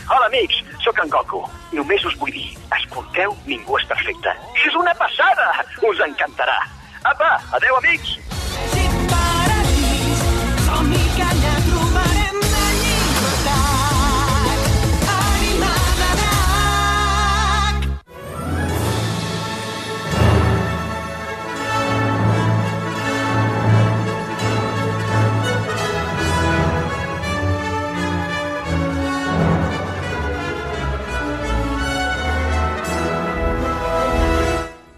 Hola, amics, sóc en Goku. Només us vull dir, escolteu Ningú és perfecte. És una passada! Us encantarà. Apa, adeu, amics!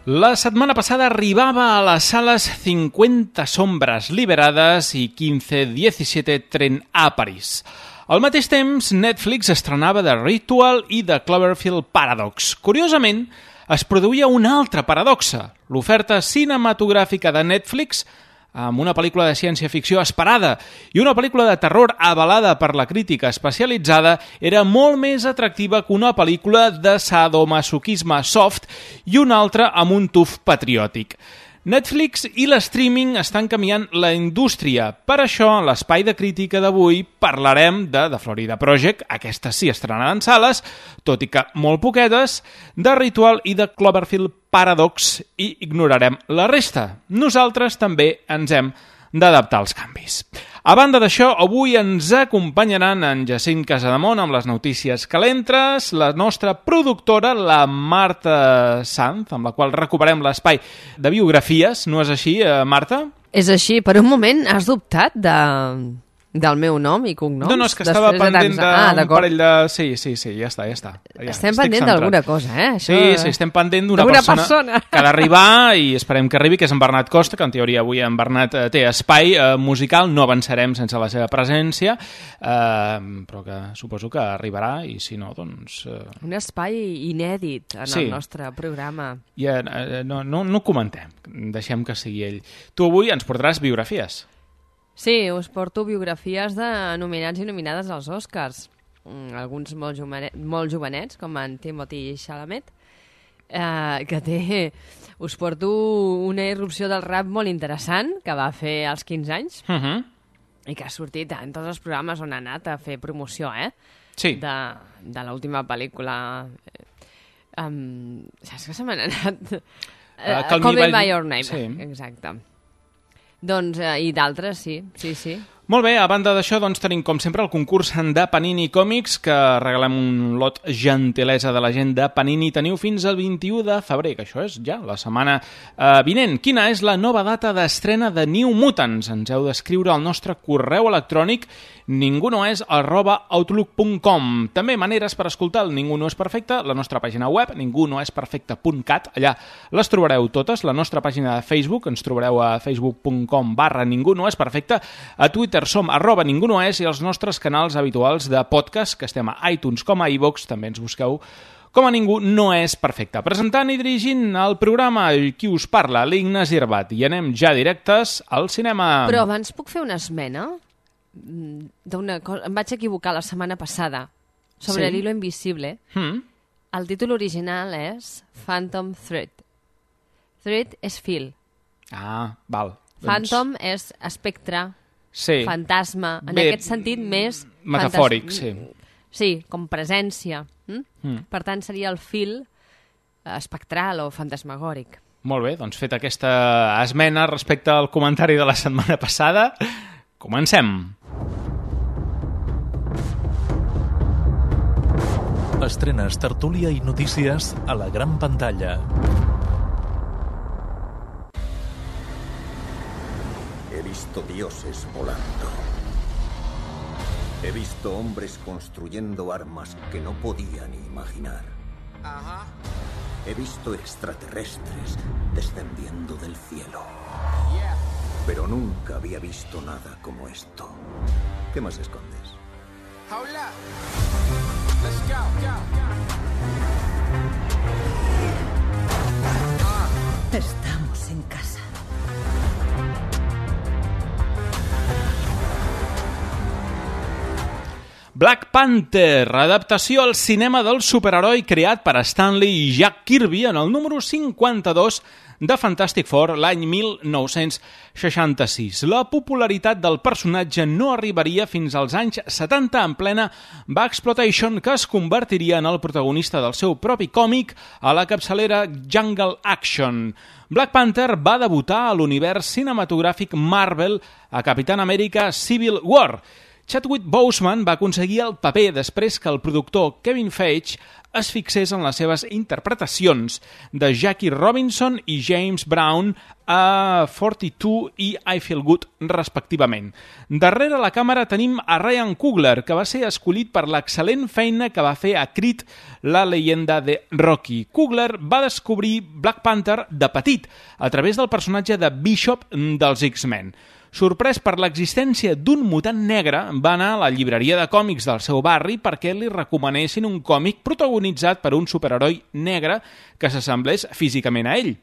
La setmana passada arribava a les sales 50 sombres liberades i 15-17 Tren a París. Al mateix temps, Netflix estrenava The Ritual i The Cloverfield Paradox. Curiosament, es produïa una altra paradoxa. L'oferta cinematogràfica de Netflix, amb una pel·lícula de ciència-ficció esperada i una pel·lícula de terror avalada per la crítica especialitzada, era molt més atractiva que una pel·lícula de sadomasoquisme soft i una altra amb un tuf patriòtic. Netflix i l'streaming estan canviant la indústria. Per això, en l'espai de crítica d'avui parlarem de The Florida Project, aquestes sí estrenaran en sales, tot i que molt poquetes, de Ritual i de Cloverfield Paradox, i ignorarem la resta. Nosaltres també ens hem d'adaptar als canvis. A banda d'això, avui ens acompanyaran en Jacint Casademont amb les notícies calentes, la nostra productora, la Marta Sanz, amb la qual recuperem l'espai de biografies. No és així, Marta? És així. Per un moment has dubtat del meu nom i cognoms? No, és que estava pendent d'un parell de... Sí, ja està. Estem pendent d'alguna cosa, Això... Sí, estem pendent d'una persona que ha d'arribar i esperem que arribi, que és en Bernat Costa, que en teoria avui en Bernat té espai musical, no avançarem sense la seva presència, però que suposo que arribarà i si no, doncs... Un espai inèdit en el nostre programa. Ja, no comentem, deixem que sigui ell. Tu avui ens portaràs biografies. Sí, us porto biografies de nominats i nominades als Oscars. Alguns molt jovenets, com en Timothée Chalamet, que té... Us porto una irrupció del rap molt interessant, que va fer als 15 anys, i que ha sortit en tots els programes on ha anat a fer promoció, Sí. De l'última pel·lícula. Saps que se m'ha anat? Call Me By Your Name, sí. Exacte. Doncs, i d'altres, sí. Molt bé, a banda d'això, doncs tenim com sempre el concurs de Panini Còmics, que regalem un lot gentilesa de la gent de Panini. Teniu fins al 21 de febrer, que això és ja la setmana vinent. Quina és la nova data d'estrena de New Mutants? Ens heu d'escriure al nostre correu electrònic ningunoes@outlook.com. També maneres per escoltar el Ningú no és perfecte, la nostra pàgina web, ningunoesperfecte.cat, allà les trobareu totes, la nostra pàgina de Facebook, ens trobareu a facebook.com/ningunoesperfecte, a Twitter som @ningunoes i els nostres canals habituals de podcast, que estem a iTunes com a iVoox, també ens busqueu com a Ningú no és perfecte. Presentant i dirigint el programa, qui us parla, l'Ignasi Herbat, i anem ja directes al cinema. Però abans puc fer una esmena? D'una cosa, em vaig equivocar la setmana passada sobre l'hilo invisible. El títol original és Phantom Thread. Thread és fil. Val. Phantom és espectre, fantasma, en aquest sentit més... Metafòric, sí. Sí, com presència. Per tant, seria el fil espectral o fantasmagòric. Molt bé, doncs fet aquesta esmena respecte al comentari de la setmana passada, comencem. Estrenes, tertúlia i notícies a la gran pantalla. He visto dioses volando. He visto hombres construyendo armas que no podía ni imaginar. He visto extraterrestres descendiendo del cielo. Pero nunca había visto nada como esto. ¿Qué más escondes? Hola. Let's go. Estamos en casa. Black Panther, adaptació al cinema del superheroi creat per Stan Lee i Jack Kirby en el número 52 de Fantastic Four l'any 1966. La popularitat del personatge no arribaria fins als anys 70 en plena Blaxploitation, que es convertiria en el protagonista del seu propi còmic a la capçalera Jungle Action. Black Panther va debutar a l'univers cinematogràfic Marvel a Capitán Amèrica Civil War. Chadwick Boseman va aconseguir el paper després que el productor Kevin Feige es fixés en les seves interpretacions de Jackie Robinson i James Brown a 42 i I Feel Good, respectivament. Darrere la càmera tenim a Ryan Coogler, que va ser escollit per l'excel·lent feina que va fer a Creed, la leyenda de Rocky. Coogler va descobrir Black Panther de petit, a través del personatge de Bishop dels X-Men. Sorprès per l'existència d'un mutant negre, va anar a la llibreria de còmics del seu barri perquè li recomanessin un còmic protagonitzat per un superheroi negre que s'assemblés físicament a ell.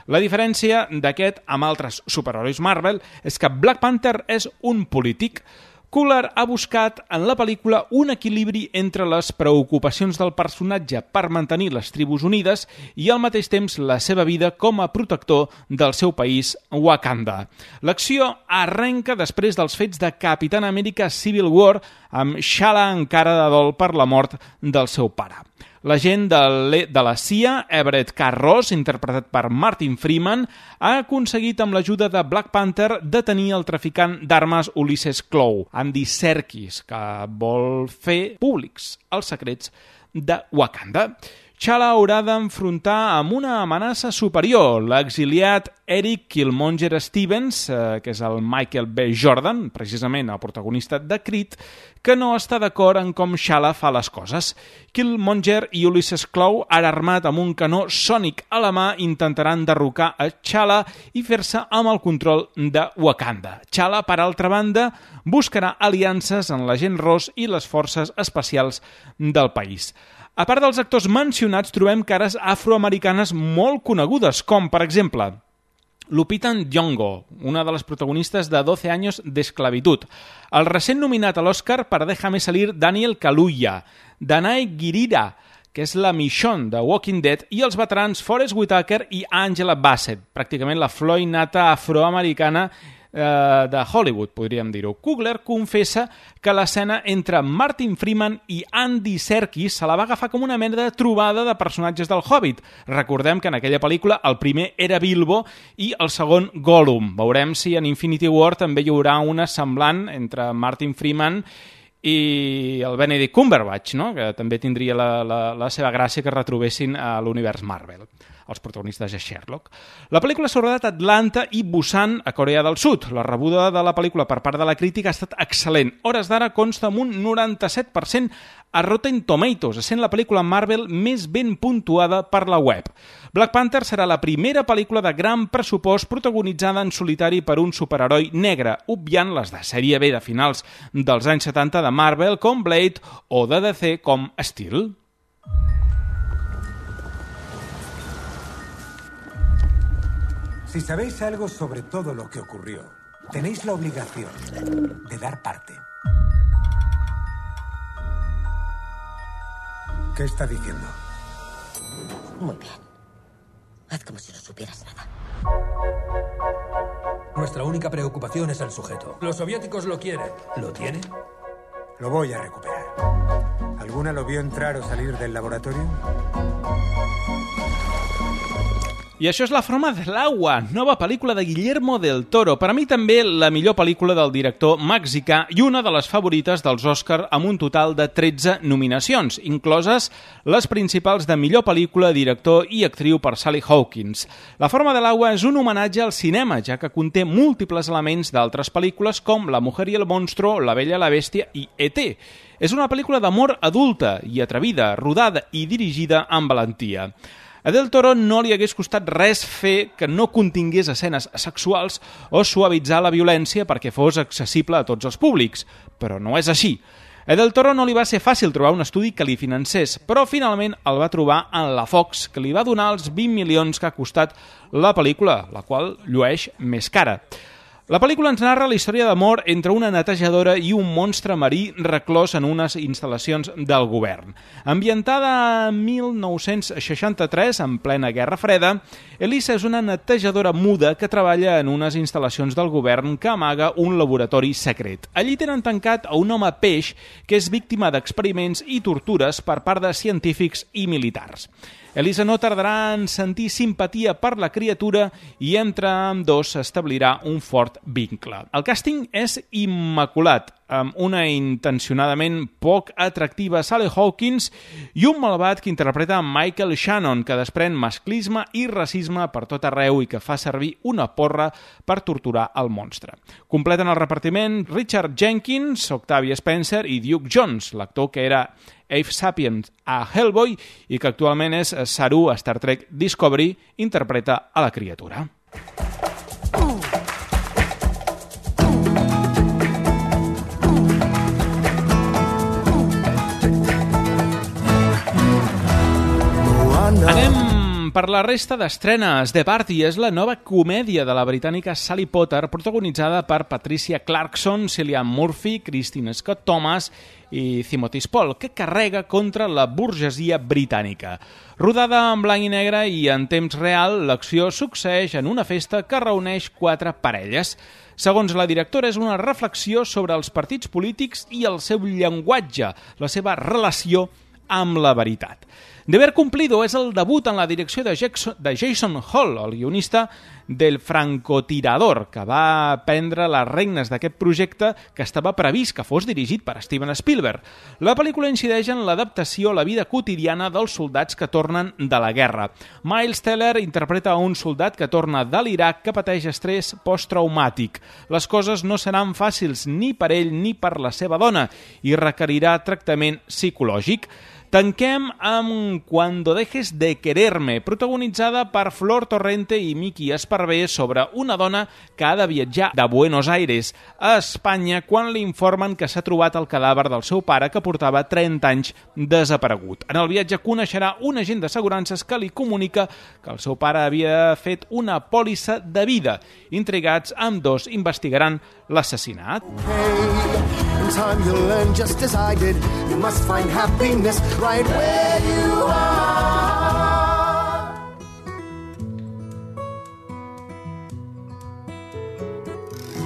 La diferència d'aquest amb altres superherois Marvel és que Black Panther és un polític. Coogler ha buscat en la pel·lícula un equilibri entre les preocupacions del personatge per mantenir les tribus unides i al mateix temps la seva vida com a protector del seu país, Wakanda. L'acció arrenca després dels fets de Capitán Amèrica Civil War, amb T'Challa encara de dol per la mort del seu pare. L'agent de la CIA, Everett K. Ross, interpretat per Martin Freeman, ha aconseguit amb l'ajuda de Black Panther detenir el traficant d'armes Ulysses Klaue, Andy Serkis, que vol fer públics els secrets de Wakanda. T'Challa haurà d'enfrontar amb una amenaça superior, l'exiliat Eric Killmonger Stevens, que és el Michael B. Jordan, precisament el protagonista de Creed, que no està d'acord en com T'Challa fa les coses. Killmonger i Ulysses Klaue, ara armat amb un canó sònic a la mà, intentaran derrocar a T'Challa i fer-se amb el control de Wakanda. T'Challa, per altra banda, buscarà aliances en l'agent Ross i les forces especials del país. A part dels actors mencionats, trobem cares afroamericanes molt conegudes, com, per exemple, Lupita Nyong'o, una de les protagonistes de 12 años de esclavitud, el recent nominat a l'Oscar per Déjame salir Daniel Kaluuya, Danai Gurira, que és la Michonne de Walking Dead, i els veterans Forest Whitaker i Angela Bassett, pràcticament la flor innata afroamericana de Hollywood, podríem dir-ho. Coogler confessa que l'escena entre Martin Freeman i Andy Serkis se la va agafar com una mena de trobada de personatges del Hobbit. Recordem que en aquella pel·lícula el primer era Bilbo i el segon Gollum. Veurem si en Infinity War també hi haurà una semblant entre Martin Freeman i el Benedict Cumberbatch, no? Que també tindria la seva gràcia que retrobessin a l'univers Marvel, els protagonistes de Sherlock. La pel·lícula s'ha rodat a Atlanta i Busan, a Corea del Sud. La rebuda de la pel·lícula per part de la crítica ha estat excel·lent. Hores d'ara consta amb un 97% a Rotten Tomatoes, essent la pel·lícula Marvel més ben puntuada per la web. Black Panther serà la primera pel·lícula de gran pressupost protagonitzada en solitari per un superheroi negre, obviant les de sèrie B de finals dels anys 70 de Marvel com Blade o de DC com Steel. Si sabéis algo sobre todo lo que ocurrió, tenéis la obligación de dar parte. ¿Qué está diciendo? Muy bien. Haz como si no supieras nada. Nuestra única preocupación es el sujeto. Los soviéticos lo quieren. ¿Lo tiene? Lo voy a recuperar. ¿Alguna lo vio entrar o salir del laboratorio? I això és La forma del agua, nova pel·lícula de Guillermo del Toro. Per a mi també la millor pel·lícula del director mexicà i una de les favorites dels Oscar amb un total de 13 nominacions, incloses les principals de millor pel·lícula, director i actriu per Sally Hawkins. La forma del agua és un homenatge al cinema, ja que conté múltiples elements d'altres pel·lícules com La mujer y el monstruo, La bella i la bèstia i E.T. És una pel·lícula d'amor adulta i atrevida, rodada i dirigida amb valentia. A Del Toro no li hagués costat res fer que no contingués escenes sexuals o suavitzar la violència perquè fos accessible a tots els públics, però no és així. A Del Toro no li va ser fàcil trobar un estudi que li financés, però finalment el va trobar en la Fox, que li va donar els 20 milions que ha costat la pel·lícula, la qual llueix més cara. La pel·lícula ens narra la història d'amor entre una netejadora i un monstre marí reclòs en unes instal·lacions del govern. Ambientada a 1963, en plena Guerra Freda, Elisa és una netejadora muda que treballa en unes instal·lacions del govern que amaga un laboratori secret. Allí tenen tancat a un home peix que és víctima d'experiments i tortures per part de científics i militars. Elisa no tardarà en sentir simpatia per la criatura i entre ambdós s'establirà un fort vincle. El càsting és immaculat, amb una intencionadament poc atractiva Sally Hawkins i un malvat que interpreta Michael Shannon, que desprèn masclisme i racisme per tot arreu i que fa servir una porra per torturar el monstre. Completen el repartiment Richard Jenkins, Octavia Spencer i Duke Jones, l'actor que era Abe Sapien a Hellboy i que actualment és Saru a Star Trek Discovery, interpreta a la criatura. Anem per la resta d'estrenes. The Party és la nova comèdia de la britànica Sally Potter, protagonitzada per Patricia Clarkson, Cillian Murphy, Christine Scott Thomas i Timothy Spall, que carrega contra la burgesia britànica. Rodada en blanc i negre i en temps real, l'acció succeeix en una festa que reuneix 4 parelles. Segons la directora, és una reflexió sobre els partits polítics i el seu llenguatge, la seva relació amb la veritat. Deber Cumplido és el debut en la direcció de Jason Hall, el guionista del francotirador, que va prendre les regnes d'aquest projecte que estava previst que fos dirigit per Steven Spielberg. La pel·lícula incideix en l'adaptació a la vida quotidiana dels soldats que tornen de la guerra. Miles Teller interpreta un soldat que torna de l'Iraq que pateix estrès posttraumàtic. Les coses no seran fàcils ni per ell ni per la seva dona i requerirà tractament psicològic. Tanquem amb Cuando dejes de quererme, protagonitzada per Flor Torrente i Miki Esparvé, sobre una dona que ha de viatjar de Buenos Aires a Espanya quan li informen que s'ha trobat el cadàver del seu pare que portava 30 anys desaparegut. En el viatge coneixerà un agent d'assegurances que li comunica que el seu pare havia fet una pòlissa de vida. Intrigats, ambdós investigaran l'assassinat. In time you'll learn just as I did. You must find happiness right where you are.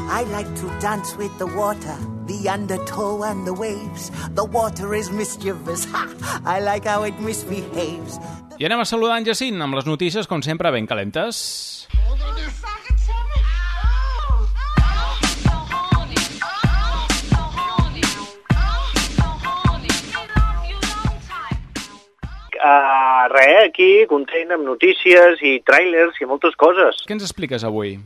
I like to dance with the water, the undertow and the waves. The water is mischievous. Ha! I like how it misbehaves. I anem a saludar en Jacint amb les notícies, com sempre, ben calentes. Res, aquí, content amb notícies i tràilers i moltes coses. Què ens expliques avui?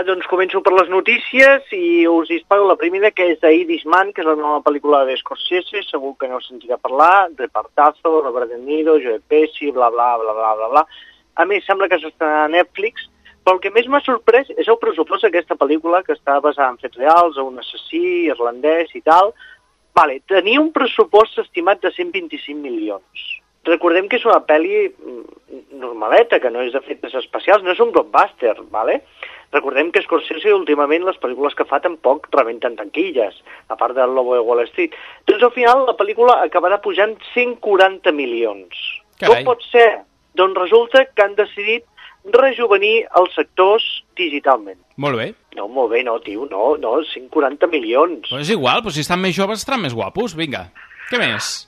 Doncs començo per les notícies i us disparo la primera, que és d'Irishman, que és la nova pel·lícula de Scorsese, segur que no us sentirà parlar, repartazo, Robert De Niro, Joe Pesci, bla, bla, bla, bla, bla, bla. A més, sembla que s'estrenarà a Netflix, però el que més m'ha sorprès és el pressupost d'aquesta pel·lícula, que està basada en fets reals, un assassí irlandès i tal. Vale, tenia un pressupost estimat de 125 milions. Recordem que és una pel·li normaleta, que no és de efectes especials, no és un blockbuster, ¿vale? Recordem que Scorsese últimament les pel·lícules que fa tampoc rebenten tanquilles, a part del Lobo de Wall Street. Doncs al final la pel·lícula acabarà pujant 140 milions. Carai. Com pot ser? Doncs resulta que han decidit rejuvenir els sectors digitalment. Molt bé. No, molt bé, no, tio, no, 140 milions. Però és igual, però si estan més joves estaran més guapos, vinga. Què més?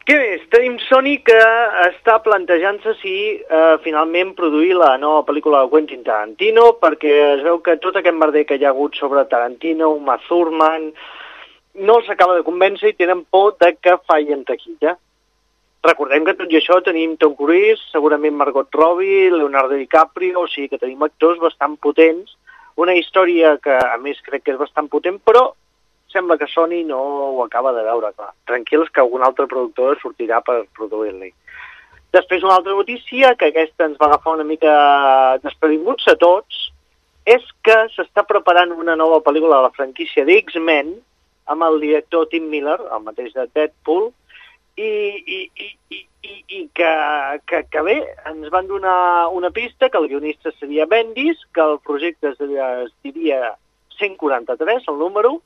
Què més? Tenim Sony que està plantejant-se si finalment produir la nova pel·lícula de Quentin Tarantino, perquè es veu que tot aquest merder que hi ha hagut sobre Tarantino, Uma Thurman, no s'acaba de convèncer i tenen por de que falli en taquilla. Recordem que tot i això tenim Tom Cruise, segurament Margot Robbie, Leonardo DiCaprio, o sigui que tenim actors bastant potents, una història que a més crec que és bastant potent, però sembla que Sony no ho acaba de veure, clar. Tranquils que algun altre productor sortirà per produir-li. Després una altra notícia, que aquesta ens va agafar una mica desprevinguts a tots, és que s'està preparant una nova pel·lícula de la franquícia d'X-Men amb el director Tim Miller, el mateix de Deadpool, i que bé, ens van donar una pista que el guionista seria Bendis, que el projecte es diria 143, el número,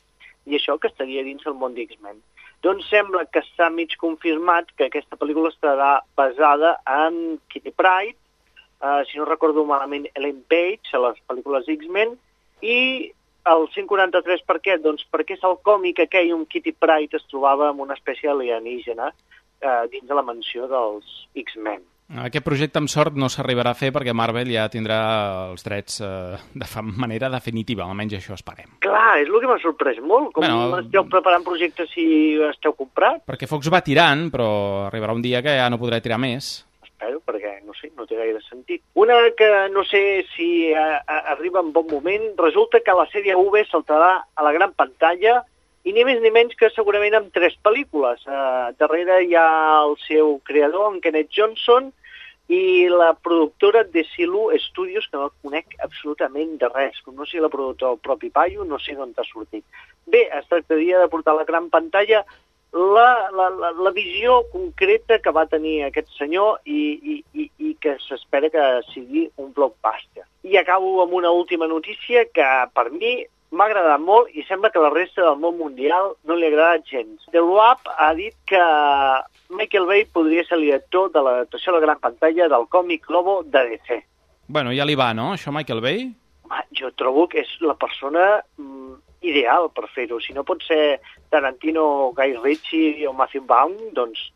i això que estaria dins el món d'X-Men. Doncs sembla que està mig confirmat que aquesta pel·lícula estarà basada en Kitty Pryde, si no recordo malament, Ellen Page, a les pel·lícules X-Men, i el 143 per què? Doncs perquè és el còmic aquell on Kitty Pryde es trobava amb una espècie alienígena dins de la mansió dels X-Men. Aquest projecte, amb sort, no s'arribarà a fer perquè Marvel ja tindrà els drets de manera definitiva, almenys això esperem. Clar, és el que m'ha sorprès molt. Com esteu preparant projectes si esteu comprant? Perquè Fox va tirant, però arribarà un dia que ja no podrà tirar més. Espero, perquè, no sé, no té gaire sentit. Una que no sé si arriba en bon moment, resulta que la sèrie V saltarà a la gran pantalla i ni més ni menys que segurament amb 3 pel·lícules. Darrere hi ha el seu creador, en Kenneth Johnson, i la productora de Silu Studios, que no conec absolutament de res. No sé la productora del propi paio, no sé d'on t'ha sortit. Bé, es tractaria de portar a la gran pantalla la visió concreta que va tenir aquest senyor i que s'espera que sigui un blockbuster. I acabo amb una última notícia que per mi m'ha agradat molt i sembla que la resta del món mundial no li ha agradat gens. The Wrap ha dit que Michael Bay podria ser el director de l'adaptació a la gran pantalla del còmic Lobo de DC. Bueno, ja li va, no, això, Michael Bay? Jo trobo que és la persona ideal per fer-ho. Si no pot ser Tarantino, Guy Ritchie o Matthew Vaughn, doncs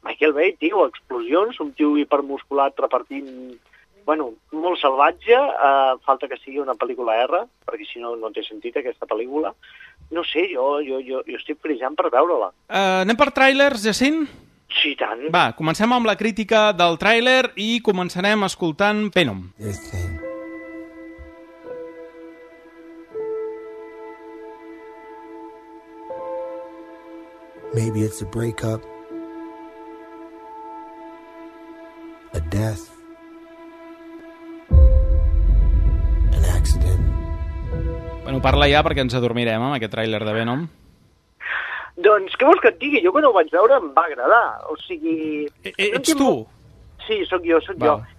Michael Bay, tio, explosions, un tio hipermusculat repartint molt salvatge, falta que sigui una pel·lícula R, perquè si no, no té sentit aquesta pel·lícula. No sé, jo estic frisant per veure-la. Anem per tràilers, Jacint? Sí, tant. Va, comencem amb la crítica del tràiler i començarem escoltant Venom. Maybe it's a breakup, a death, an accident. Bueno, parla ja perquè ens adormirem amb aquest tràiler de Venom. Doncs què vols que et digui? Jo quan ho vaig veure em va agradar. O sigui... Ets tu? Sí, sóc jo.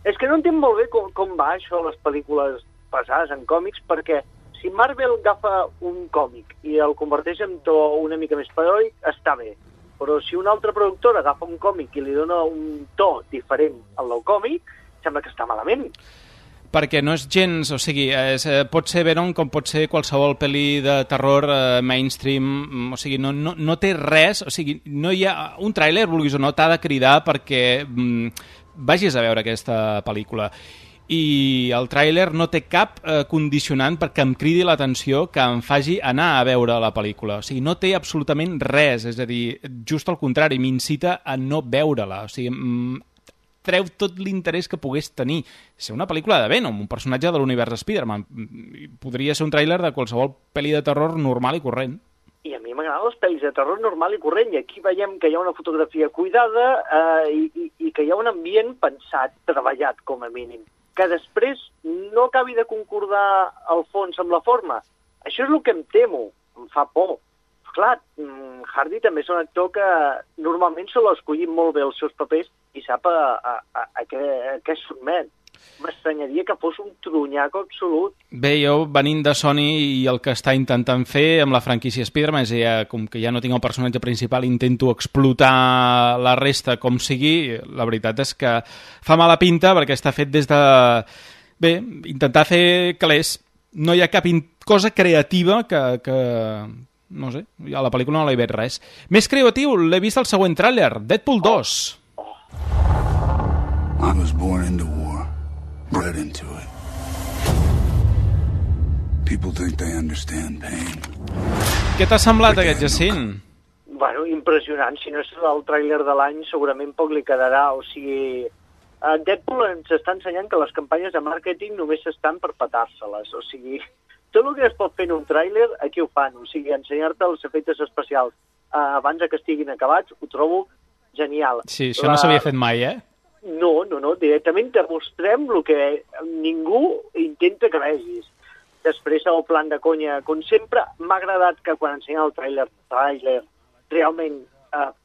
És que no entenc molt bé com va això a les pel·lícules basades en còmics, perquè si Marvel agafa un còmic i el converteix en to una mica més paròdic, està bé. Però si una altra productora agafa un còmic i li dona un to diferent al del còmic, sembla que està malament. Perquè no és gens... O sigui, pot ser Venom com pot ser qualsevol pel·li de terror mainstream. O sigui, no té res... O sigui, no hi ha... Un tràiler, vulguis o no, t'ha de cridar perquè vagis a veure aquesta pel·lícula. I el tràiler no té cap condicionant perquè em cridi l'atenció, que em faci anar a veure la pel·lícula. O sigui, no té absolutament res. És a dir, just al contrari, m'incita a no veure-la. O sigui... treu tot l'interès que pogués tenir. Ser una pel·lícula de Venom, un personatge de l'univers Spider-Man. Podria ser un tràiler de qualsevol pel·li de terror normal i corrent. I a mi m'agraden les pel·lis de terror normal i corrent, i aquí veiem que hi ha una fotografia cuidada i que hi ha un ambient pensat, treballat com a mínim, que després no acabi de concordar el fons amb la forma. Això és el que em temo, em fa por. Clar, Hardy també és un actor que normalment se l'ha escollit molt bé els seus papers i sap a què sotmet. M'estranyaria que fos un trunyaco absolut. Bé, jo venint de Sony i el que està intentant fer amb la franquícia Spider-Man, com que ja no tinc el personatge principal, intento explotar la resta com sigui, la veritat és que fa mala pinta perquè està fet des de... Bé, intentar fer calés. No hi ha cap cosa creativa que no sé, a la pel·lícula no l'he vist res. Més creatiu, l'he vist al següent tràiler, Deadpool 2. I was born into war, bred into it. People think they understand pain. Què t'ha semblat aquest, Jacint? Bueno, impressionant. Si no és el tràiler de l'any, segurament poc li quedarà. O sigui, Deadpool ens està ensenyant que les campanyes de màrqueting només estan per petar-se-les. O sigui, tot el que es pot fer en un tràiler, aquí ho fan. O sigui, ensenyar-te els efectes especials abans que estiguin acabats, ho trobo genial. Sí, això no s'havia fet mai, eh? No. Directament te mostrem el que ningú intenta que vegis. Després, el plan de conya, com sempre, m'ha agradat que quan ensenya el tràiler realment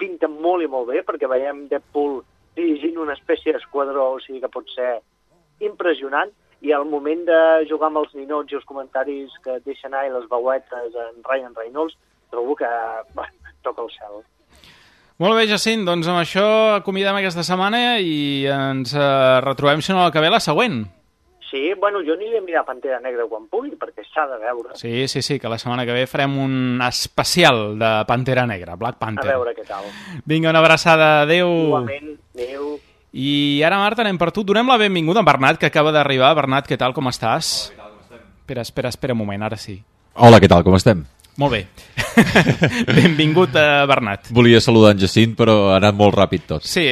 pinta molt i molt bé, perquè veiem Deadpool dirigint una espècie d'esquadró, o sigui que pot ser impressionant. i al moment de jugar amb els ninots i els comentaris que et deixen anar i les veuetes en Ryan Reynolds, trobo que toca el cel. Molt bé, Jacint, doncs amb això acomiadem aquesta setmana i ens retrobem, si no la que ve, la següent. Sí, bueno, jo aniré a mirar Pantera Negra quan pugui, perquè s'ha de veure. Sí, que la setmana que ve farem un especial de Pantera Negra, Black Panther. A veure què tal. Vinga, una abraçada, adeu. Igualment, adeu. I ara, Marta, anem per tu. Donem la benvinguda a Bernat, que acaba d'arribar. Bernat, què tal, com estàs? Hola, què tal, com estem? Espera un moment, ara sí. Hola, què tal, com estem? Molt bé. Benvingut, Bernat. Volia saludar en Jacint, però ha anat molt ràpid tot. Sí,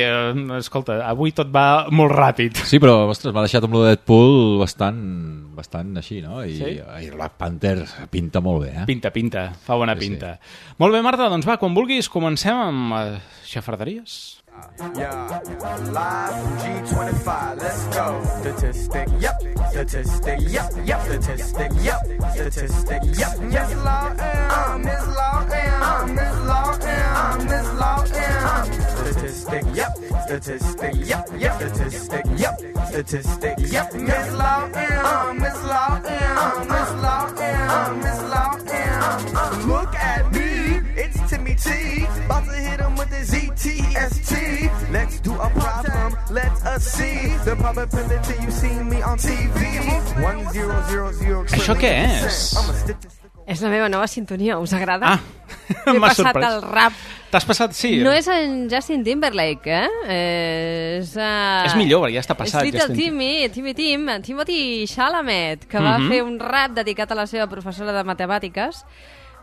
escolta, avui tot va molt ràpid. Sí, però, ostres, m'ha deixat amb lo de Deadpool bastant així, no? I Black Panther pinta molt bé, eh? Pinta, fa bona pinta. Sí. Molt bé, Marta, doncs va, quan vulguis comencem amb xafarderies. Yeah, live from G25, let's go. Statistic, yep. Statistic, yep. Statistic, yep. Statistic, yep. Miss Law M, Miss Law M, Miss Law M, Miss Law M. Statistic, yep. Statistic, yep. Statistic, yep. Statistic, yep. Miss Law M, Miss Law M, Miss Law M, Miss Law M. Look at me, it's Timmy T, about to hit him with the ZTST. Let's do a problem, let us see the probability you see me on TV. 1000. Això què és? És la meva nova sintonia, us agrada? M'ha passat sorprès. el rap. T'has passat, sí. No és en Justin Timberlake, eh? És millor, ja està passat. És Little Timothy Chalamet, que va fer un rap dedicat a la seva professora de matemàtiques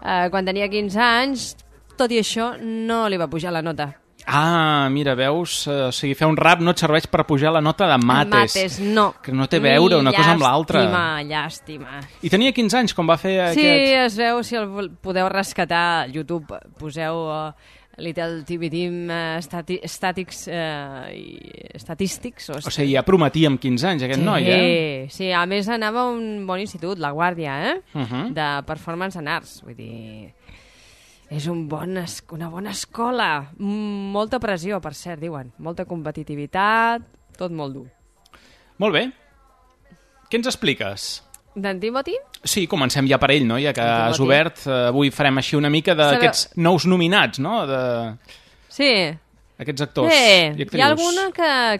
quan tenia 15 anys. Tot i això, no li va pujar la nota. Ah, mira, veus? O sigui, fer un rap no et serveix per pujar la nota de mates. Mates, no. Que no té a veure una cosa amb l'altra. Llàstima. I tenia 15 anys quan va fer aquest... Sí, es veu, si el podeu rescatar a YouTube, poseu Little Tim Statistics. O sigui, ja prometia amb 15 anys aquest noi, eh? Sí, a més anava a un bon institut, La Guàrdia, de Performance and Arts, vull dir... És una bona escola. Molta pressió, per cert, diuen. Molta competitivitat, tot molt dur. Molt bé. Què ens expliques? D'en Timothy? Sí, comencem ja per ell, no? Ja que has obert, avui farem així una mica d'aquests nous nominats, no? Sí. Aquests actors i actrius. Hi ha alguna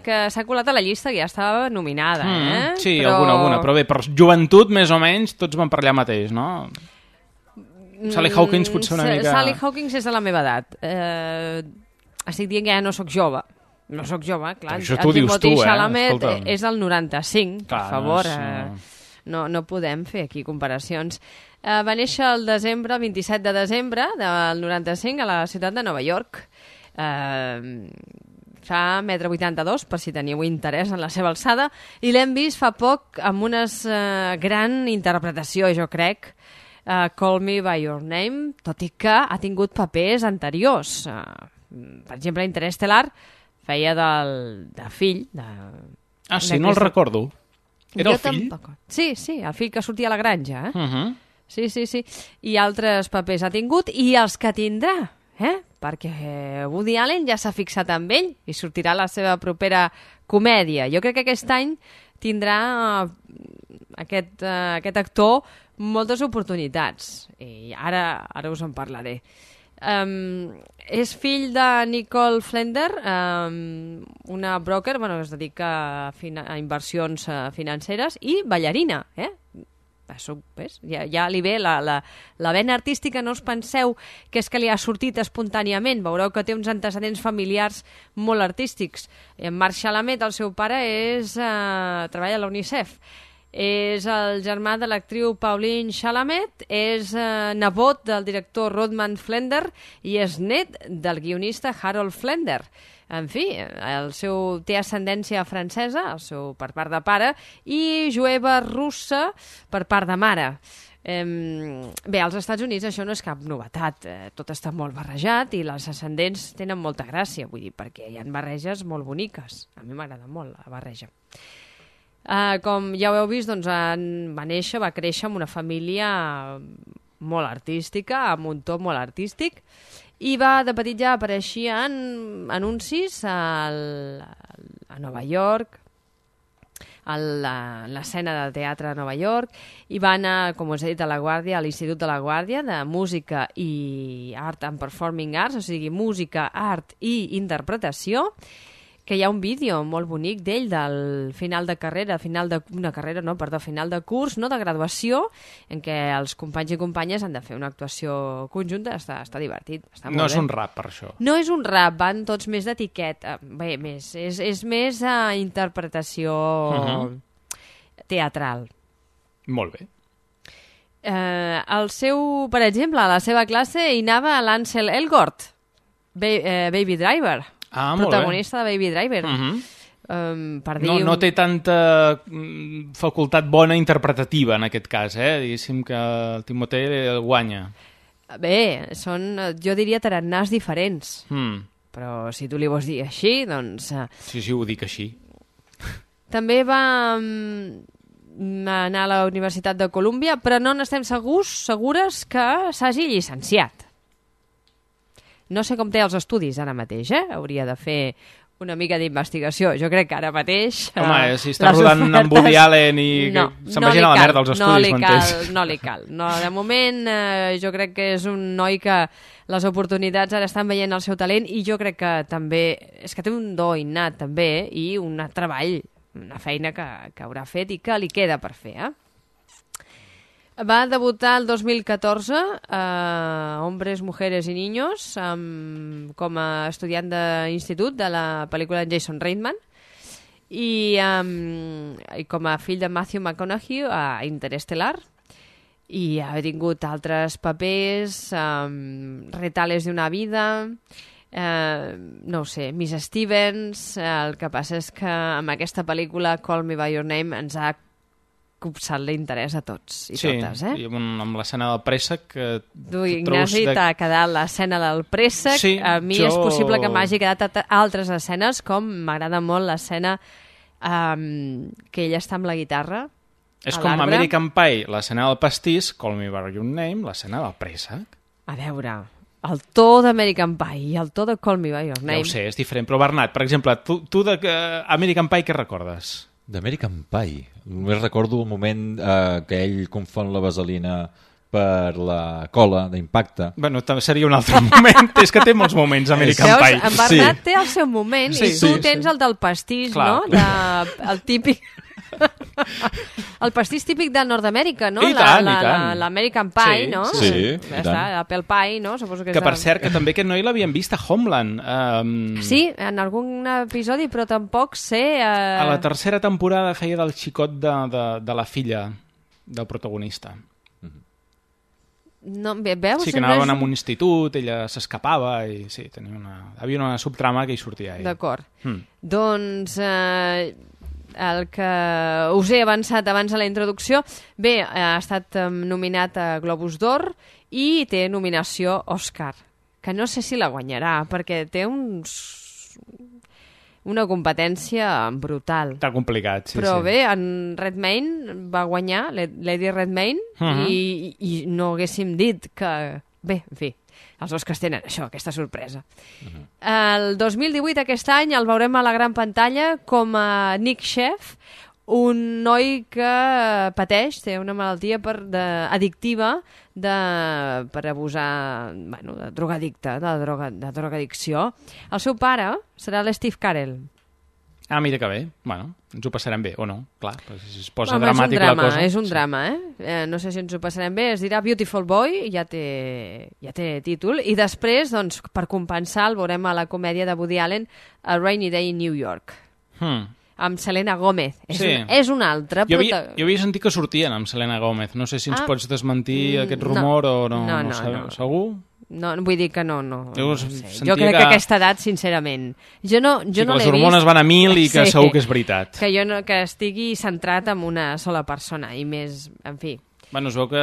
que s'ha colat a la llista que ja estava nominada, eh? Sí, alguna. Però bé, per joventut, més o menys, tots van per allà mateix, no? Sally Hawkins potser una mica... Sally Hawkins és de la meva edat. Estic dient que ja no sóc jove. No sóc jove, clar. Això t'ho dius tu, Chalamet és del 95, per favor. No podem fer aquí comparacions. Va néixer el 27 de desembre del 95 a la ciutat de Nova York. Fa 1,82 m, per si teniu interès en la seva alçada, i l'hem vist fa poc amb una gran interpretació, jo crec, Call Me By Your Name, tot i que ha tingut papers anteriors. Per exemple, Interestelar feia de fill. Sí, no el recordo. Era el fill? Sí, el fill que sortia a la granja. Sí. I altres papers ha tingut, i els que tindrà, perquè Woody Allen ja s'ha fixat amb ell i sortirà la seva propera comèdia. Jo crec que aquest any tindrà aquest actor moltes oportunitats, i ara us en parlaré. És fill de Nicole Flender, una broker que es dedica a inversions financeres, i ballarina. Ja li ve la vena artística. No us penseu que és que li ha sortit espontàniament. Veureu que té uns antecedents familiars molt artístics. En Marc Chalamet, el seu pare, treballa a la UNICEF. És el germà de l'actriu Pauline Chalamet, és nebot del director Rodman Flender i és net del guionista Harold Flender. En fi, té ascendència francesa, per part de pare, i jueva russa per part de mare. Bé, als Estats Units això no és cap novetat, tot està molt barrejat i les ascendents tenen molta gràcia, vull dir, perquè hi ha barreges molt boniques. A mi m'agrada molt la barreja. Com ja ho heu vist, doncs va créixer en una família molt artística, amb un to molt artístic, i de petit ja apareixia en anuncis a Nova York, a l'escena de teatre de Nova York, i va anar, com us he dit, a La Guàrdia, a l'Institut de La Guàrdia, de Música i Art and Performing Arts, o sigui, música, art i interpretació, que hi ha un vídeo molt bonic d'ell del final de curs, no de graduació, en què els companys i companyes han de fer una actuació conjunta. Està divertit, està molt bé. No és un rap, per això. No és un rap, van tots més d'etiqueta. Bé, és més interpretació teatral. Molt bé. Per exemple, a la seva classe hi anava l'Ansel Elgort, Baby Driver. Protagonista de Baby Driver. Per dir no té tanta facultat bona interpretativa, en aquest cas, diguéssim que el Timothée guanya. Bé, són, jo diria, tarannàs diferents. Però si tu li vols dir així, doncs... Sí, ho dic així. També va anar a la Universitat de Colúmbia, però no n'estem segures que s'hagi llicenciat. No sé com té els estudis ara mateix, hauria de fer una mica d'investigació. Jo crec que ara mateix... Home, si està rodant amb Woody Allen i se'n vagin a la merda els estudis, no li cal. No, de moment, jo crec que és un noi que les oportunitats ara estan veient el seu talent, i jo crec que també... És que té un do innat, també, i un treball, una feina que haurà fet i que li queda per fer, Va debutar el 2014 a Hombres, Mujeres y Niños com a estudiant d'institut de la pel·lícula de Jason Reitman, i com a fill de Matthew McConaughey a Interestelar, i ha tingut altres papers, Retales de una vida, no ho sé, Miss Stevens. El que passa és que amb aquesta pel·lícula Call Me By Your Name ens ha copsat l'interès a tots i totes, i amb l'escena del préssec... Tu, Ignasi, t'ha quedat l'escena del préssec. Sí, a mi és possible que m'hagi quedat altres escenes, com m'agrada molt l'escena que ella està amb la guitarra. És com American Pie, l'escena del pastís, Call Me By Your Name, l'escena del préssec. A veure, el to d'American Pie i el to de Call Me By Your Name... Ja ho sé, és diferent, però Bernat, per exemple, tu d'American Pie què recordes? D'American Pie. Només recordo el moment que ell confon la vaselina per la cola d'impacte. Bueno, seria un altre moment. És que té molts moments, American Pie. En Bernat té el seu moment, i tu tens el del pastís, no? El típic... El pastís típic de Nord-Amèrica, no? I tant. L'American Pie, no? Sí, ja està, l'Apple Pie, no? Suposo que per cert, que també aquest noi l'havien vist a Homeland. Sí, en algun episodi, però tampoc sé... A la tercera temporada feia del xicot de la filla del protagonista. No, veus? Sí, que anaven a un institut, ella s'escapava i sí, havia una subtrama que hi sortia ell. D'acord. Doncs... el que us he avançat abans a la introducció, bé, ha estat nominat a Globus d'Or i té nominació Òscar, que no sé si la guanyarà, perquè té una competència brutal. Està complicat, sí. Però bé, en Redmayne va guanyar, Lady Redmayne, i no haguéssim dit que... Bé, en fi, els Oscars tenen això, aquesta sorpresa. El 2018, aquest any, el veurem a la gran pantalla com a Nick Sheff, un noi que pateix, té una malaltia addictiva per abusar, bueno, de drogadicte, de drogadicció. El seu pare serà l'Steve Carell. Ah, mira que bé. Bueno, ens ho passarem bé, o no? Clar, si es posa dramàtic la cosa. És un drama, no sé si ens ho passarem bé. Es dirà Beautiful Boy, ja té títol. I després, doncs, per compensar, el veurem a la comèdia de Woody Allen, A Rainy Day in New York. Amb Selena Gomez. És un altre... Jo havia sentit que sortien amb Selena Gomez. No sé si ens pots desmentir aquest rumor o no. No. Segur? No, vull dir que no. No sé. Jo crec que a aquesta edat, sincerament... Jo no l'he vist. Les hormones van a 1000 i que segur que és veritat. Que estigui centrat en una sola persona i més, en fi... Bueno, es veu que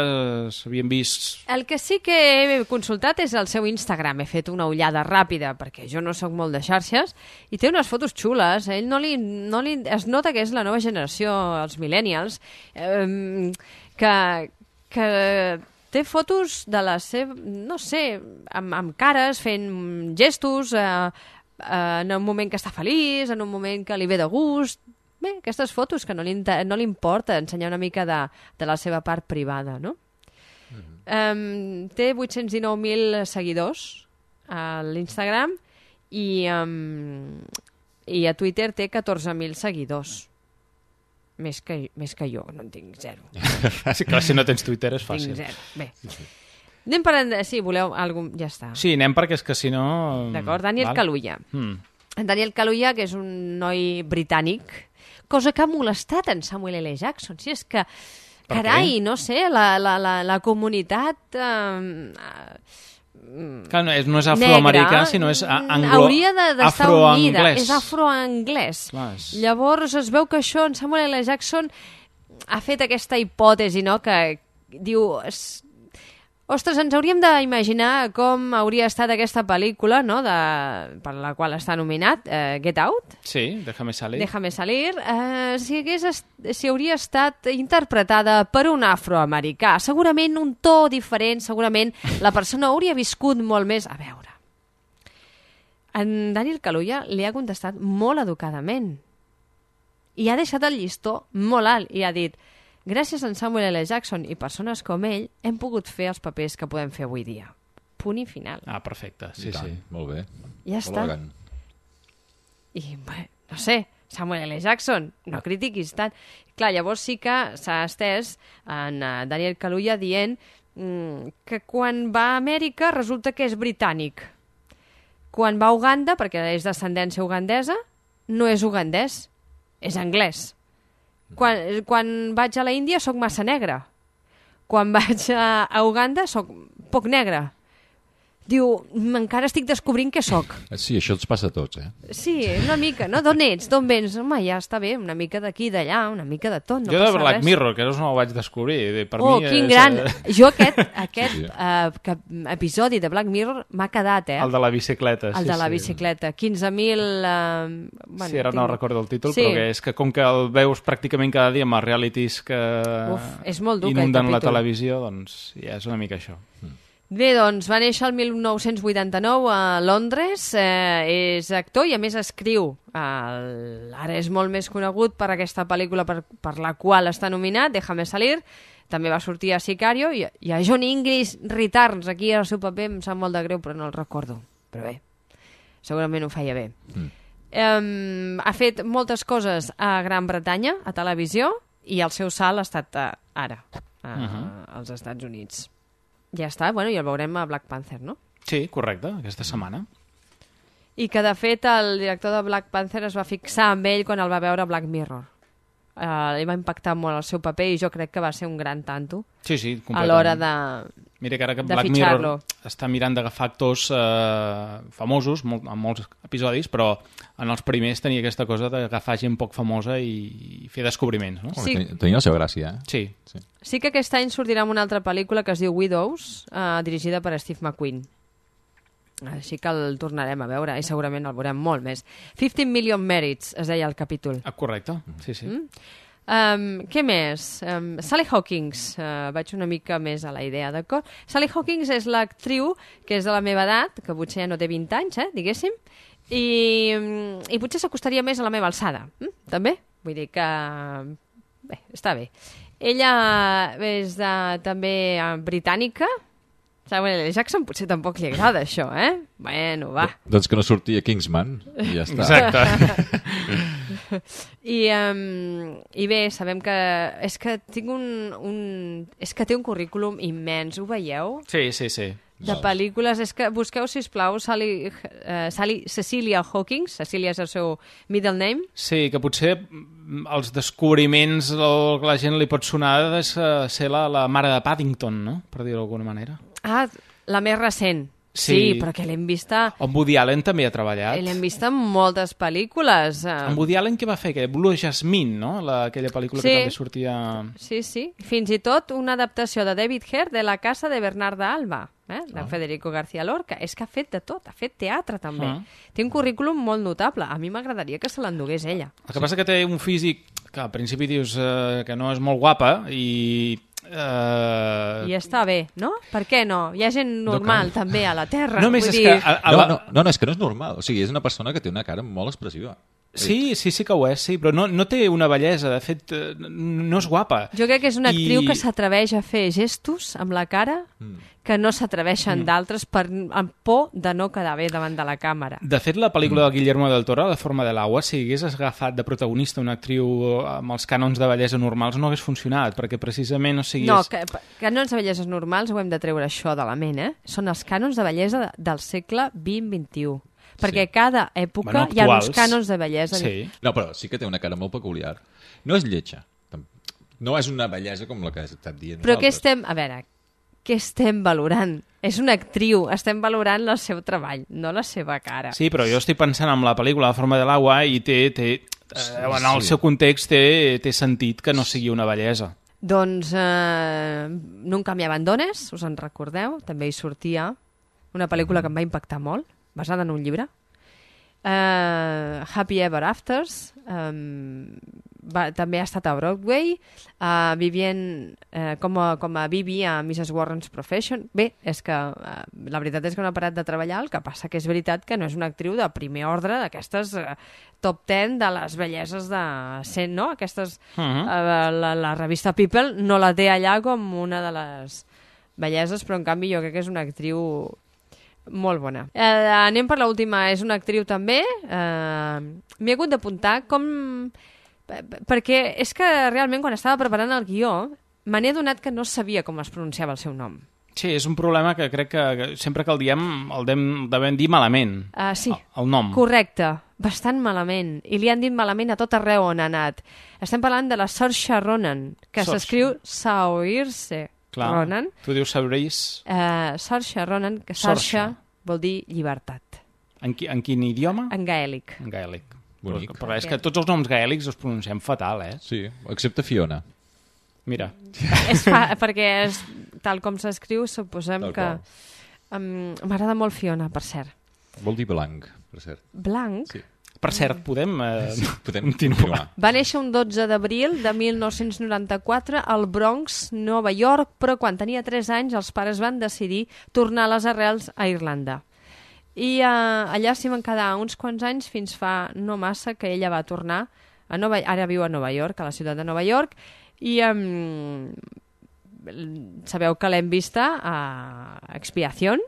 s'havien vist... El que sí que he consultat és el seu Instagram. He fet una ullada ràpida, perquè jo no sóc molt de xarxes, i té unes fotos xules. Ell es nota que és la nova generació, els millennials, que té fotos de la seva... No sé, amb cares, fent gestos, en un moment que està feliç, en un moment que li ve de gust... bé, aquestes fotos, que no li importa ensenyar una mica de la seva part privada, no? Té 819.000 seguidors a l'Instagram i a Twitter té 14.000 seguidors. Més que jo, no en tinc zero. Sí, clar, si no tens Twitter és fàcil. Tinc zero. Bé. Anem per... Si voleu algun... Ja està. Sí, anem perquè és que si no... D'acord, Daniel Kaluuya. Daniel Kaluuya, que és un noi britànic, cosa que ha molestat en Samuel L. Jackson. Si és que, carai, no sé, la comunitat... Clar, no és afroamericà, sinó és hauria d'estar unida, afroanglès. és afroanglès. Llavors es veu que això en Samuel L. Jackson ha fet aquesta hipòtesi, no?, que diu... Ostres, ens hauríem d'imaginar com hauria estat aquesta pel·lícula, no?, per la qual està nominat, Get Out. Sí, Déjame salir. Déjame salir. Si hauria estat interpretada per un afroamericà. Segurament un to diferent, segurament la persona hauria viscut molt més... A veure, en Daniel Kaluuya li ha contestat molt educadament i ha deixat el llistó molt alt i ha dit: gràcies a en Samuel L. Jackson i persones com ell hem pogut fer els papers que podem fer avui dia. Punt i final. Ah, perfecte. Sí, sí. Molt bé. Ja està. I, bé, no sé, Samuel L. Jackson, no critiquis tant. Clar, llavors sí que s'ha estès en Daniel Kaluuya dient que quan va a Amèrica resulta que és britànic. Quan va a Uganda, perquè és d'ascendència ugandesa, no és ugandès, és anglès. Quan vaig a la Índia soc massa negre. Quan vaig a Uganda soc poc negre. Diu, encara estic descobrint què soc. Sí, això ens passa a tots, Sí, una mica, no? D'on ets? D'on vens? Home, ja està bé, una mica d'aquí, d'allà, una mica de tot, no jo passa de Black res. Mirror, que no ho vaig descobrir. Per mi quin és... gran! Jo aquest episodi de Black Mirror m'ha quedat, El de la bicicleta, sí. El de la bicicleta. 15.000... Sí, ara no recordo el títol, però que és que com que el veus pràcticament cada dia amb els realities que és molt dur, inunden la televisió, doncs ja és una mica això. Bé, doncs va néixer el 1989 a Londres, és actor i a més escriu. Ara és molt més conegut per aquesta pel·lícula per la qual està nominat, Déjame salir. També va sortir a Sicario i a John English Returns. Aquí el seu paper em sap molt de greu, però no el recordo. Però bé, segurament ho feia bé. Ha fet moltes coses a Gran Bretanya, a televisió, i el seu salt ha estat ara, als Estats Units. Ja està, bueno, i el veurem a Black Panther, no? Sí, correcte, aquesta setmana. I que, de fet, el director de Black Panther es va fixar amb ell quan el va veure a Black Mirror. Li va impactar molt el seu paper i jo crec que va ser un gran tanto. Sí, completament. A l'hora de Mira que ara que Black Mirror està mirant d'agafar actors famosos, amb molts episodis, però en els primers tenia aquesta cosa d'agafar gent poc famosa i fer descobriments, no? Sí. Tenia la seva gràcia, Sí que aquest any sortirà una altra pel·lícula que es diu Widows, dirigida per Steve McQueen. Així que el tornarem a veure i segurament el veurem molt més. 15 Million Merits, es deia el capítol. Correcte, sí. Què més? Sally Hawkins, vaig una mica més a la idea, d'acord? Sally Hawkins és l'actriu que és de la meva edat, que potser ja no té 20 anys, diguéssim, i potser s'acostaria més a la meva alçada, també? Vull dir que... Bé, està bé. Ella és també britànica. Samuel L. Jackson potser tampoc li agrada això, Bueno, va. Doncs que no surti a Kingsman i ja està. Exacte. I bé, sabem que... És que tinc és que té un currículum immens, ho veieu? Sí. De pel·lícules, és que busqueu, sisplau, Cecilia Hawkins, Cecilia és el seu middle name. Sí, que potser els descobriments que la gent li pot sonar és ser la mare de Paddington, no? Per dir-ho d'alguna manera. La més recent. Sí, però que l'hem vista... En Woody Allen també ha treballat. L'hem vista en moltes pel·lícules. En Woody Allen què va fer? Blue Jasmine, no? Aquella pel·lícula que també sortia... Sí. Fins i tot una adaptació de David Hare de La casa de Bernarda Alba, de Federico García Lorca. És que ha fet de tot, ha fet teatre també. Té un currículum molt notable. A mi m'agradaria que se l'endugués ella. El que passa que té un físic que al principi dius que no és molt guapa i està bé, no? Per què no? Hi ha gent normal també a la Terra. No, és que no és normal. O sigui, és una persona que té una cara molt expressiva. Sí que ho és, sí, però no té una bellesa, de fet, no és guapa. Jo crec que és una actriu que s'atreveix a fer gestos amb la cara que no s'atreveixen d'altres amb por de no quedar bé davant de la càmera. De fet, la pel·lícula de Guillermo del Toro, La forma de l'agua, si hagués agafat de protagonista una actriu amb els cànons de bellesa normals, no hagués funcionat, perquè precisament, o sigui... No, cànons de belleses normals ho hem de treure això de la ment, Són els cànons de bellesa del segle XX-XXI. Perquè cada època hi ha uns cànons de bellesa. Sí. No, però sí que té una cara molt peculiar. No és lletja. No és una bellesa com la que has estat dient. Però què estem valorant? És una actriu, estem valorant el seu treball, no la seva cara. Sí, però jo estic pensant en la pel·lícula La forma de l'agua i en el seu context té sentit que no sigui una bellesa. Doncs Nunca me abandones, us en recordeu? També hi sortia una pel·lícula que em va impactar molt, basada en un llibre. Happy Ever Afters, també ha estat a Broadway, com a Bibi a Mrs. Warren's Profession. Bé, és que la veritat és que no ha parat de treballar, el que passa que és veritat que no és una actriu de primer ordre, d'aquestes top 10 de les belleses de 100, no? Aquestes, la revista People no la té allà com una de les belleses, però en canvi jo crec que és una actriu molt bona. Anem per l'última, és una actriu també. M'he hagut d'apuntar perquè és que realment quan estava preparant el guió me n'he adonat que no sabia com es pronunciava el seu nom. Sí, és un problema que crec que sempre que el diem el devem dir malament. Sí, el nom. Correcte, bastant malament. I li han dit malament a tot arreu on ha anat. Estem parlant de la Saoirse Ronan, que s'escriu Saoirse Ronan. Tu dius Saoirse? Saoirse Ronan, que Saoirse vol dir llibertat. En quin idioma? En gaèlic. En gaèlic. Bonic. Però és que tots els noms gaèlics els pronunciem fatal, Sí, excepte Fiona. Mira. Perquè tal com s'escriu, suposem que... M'agrada molt Fiona, per cert. Vol dir blanc, per cert. Blanc? Sí. Per cert, podem continuar. Va néixer un 12 d'abril de 1994 al Bronx, Nova York, però quan tenia 3 anys els pares van decidir tornar a les arrels a Irlanda. I allà s'hi van quedar uns quants anys fins fa no massa que ella va tornar ara viu a Nova York, a la ciutat de Nova York, i sabeu que l'hem vista a Expiación.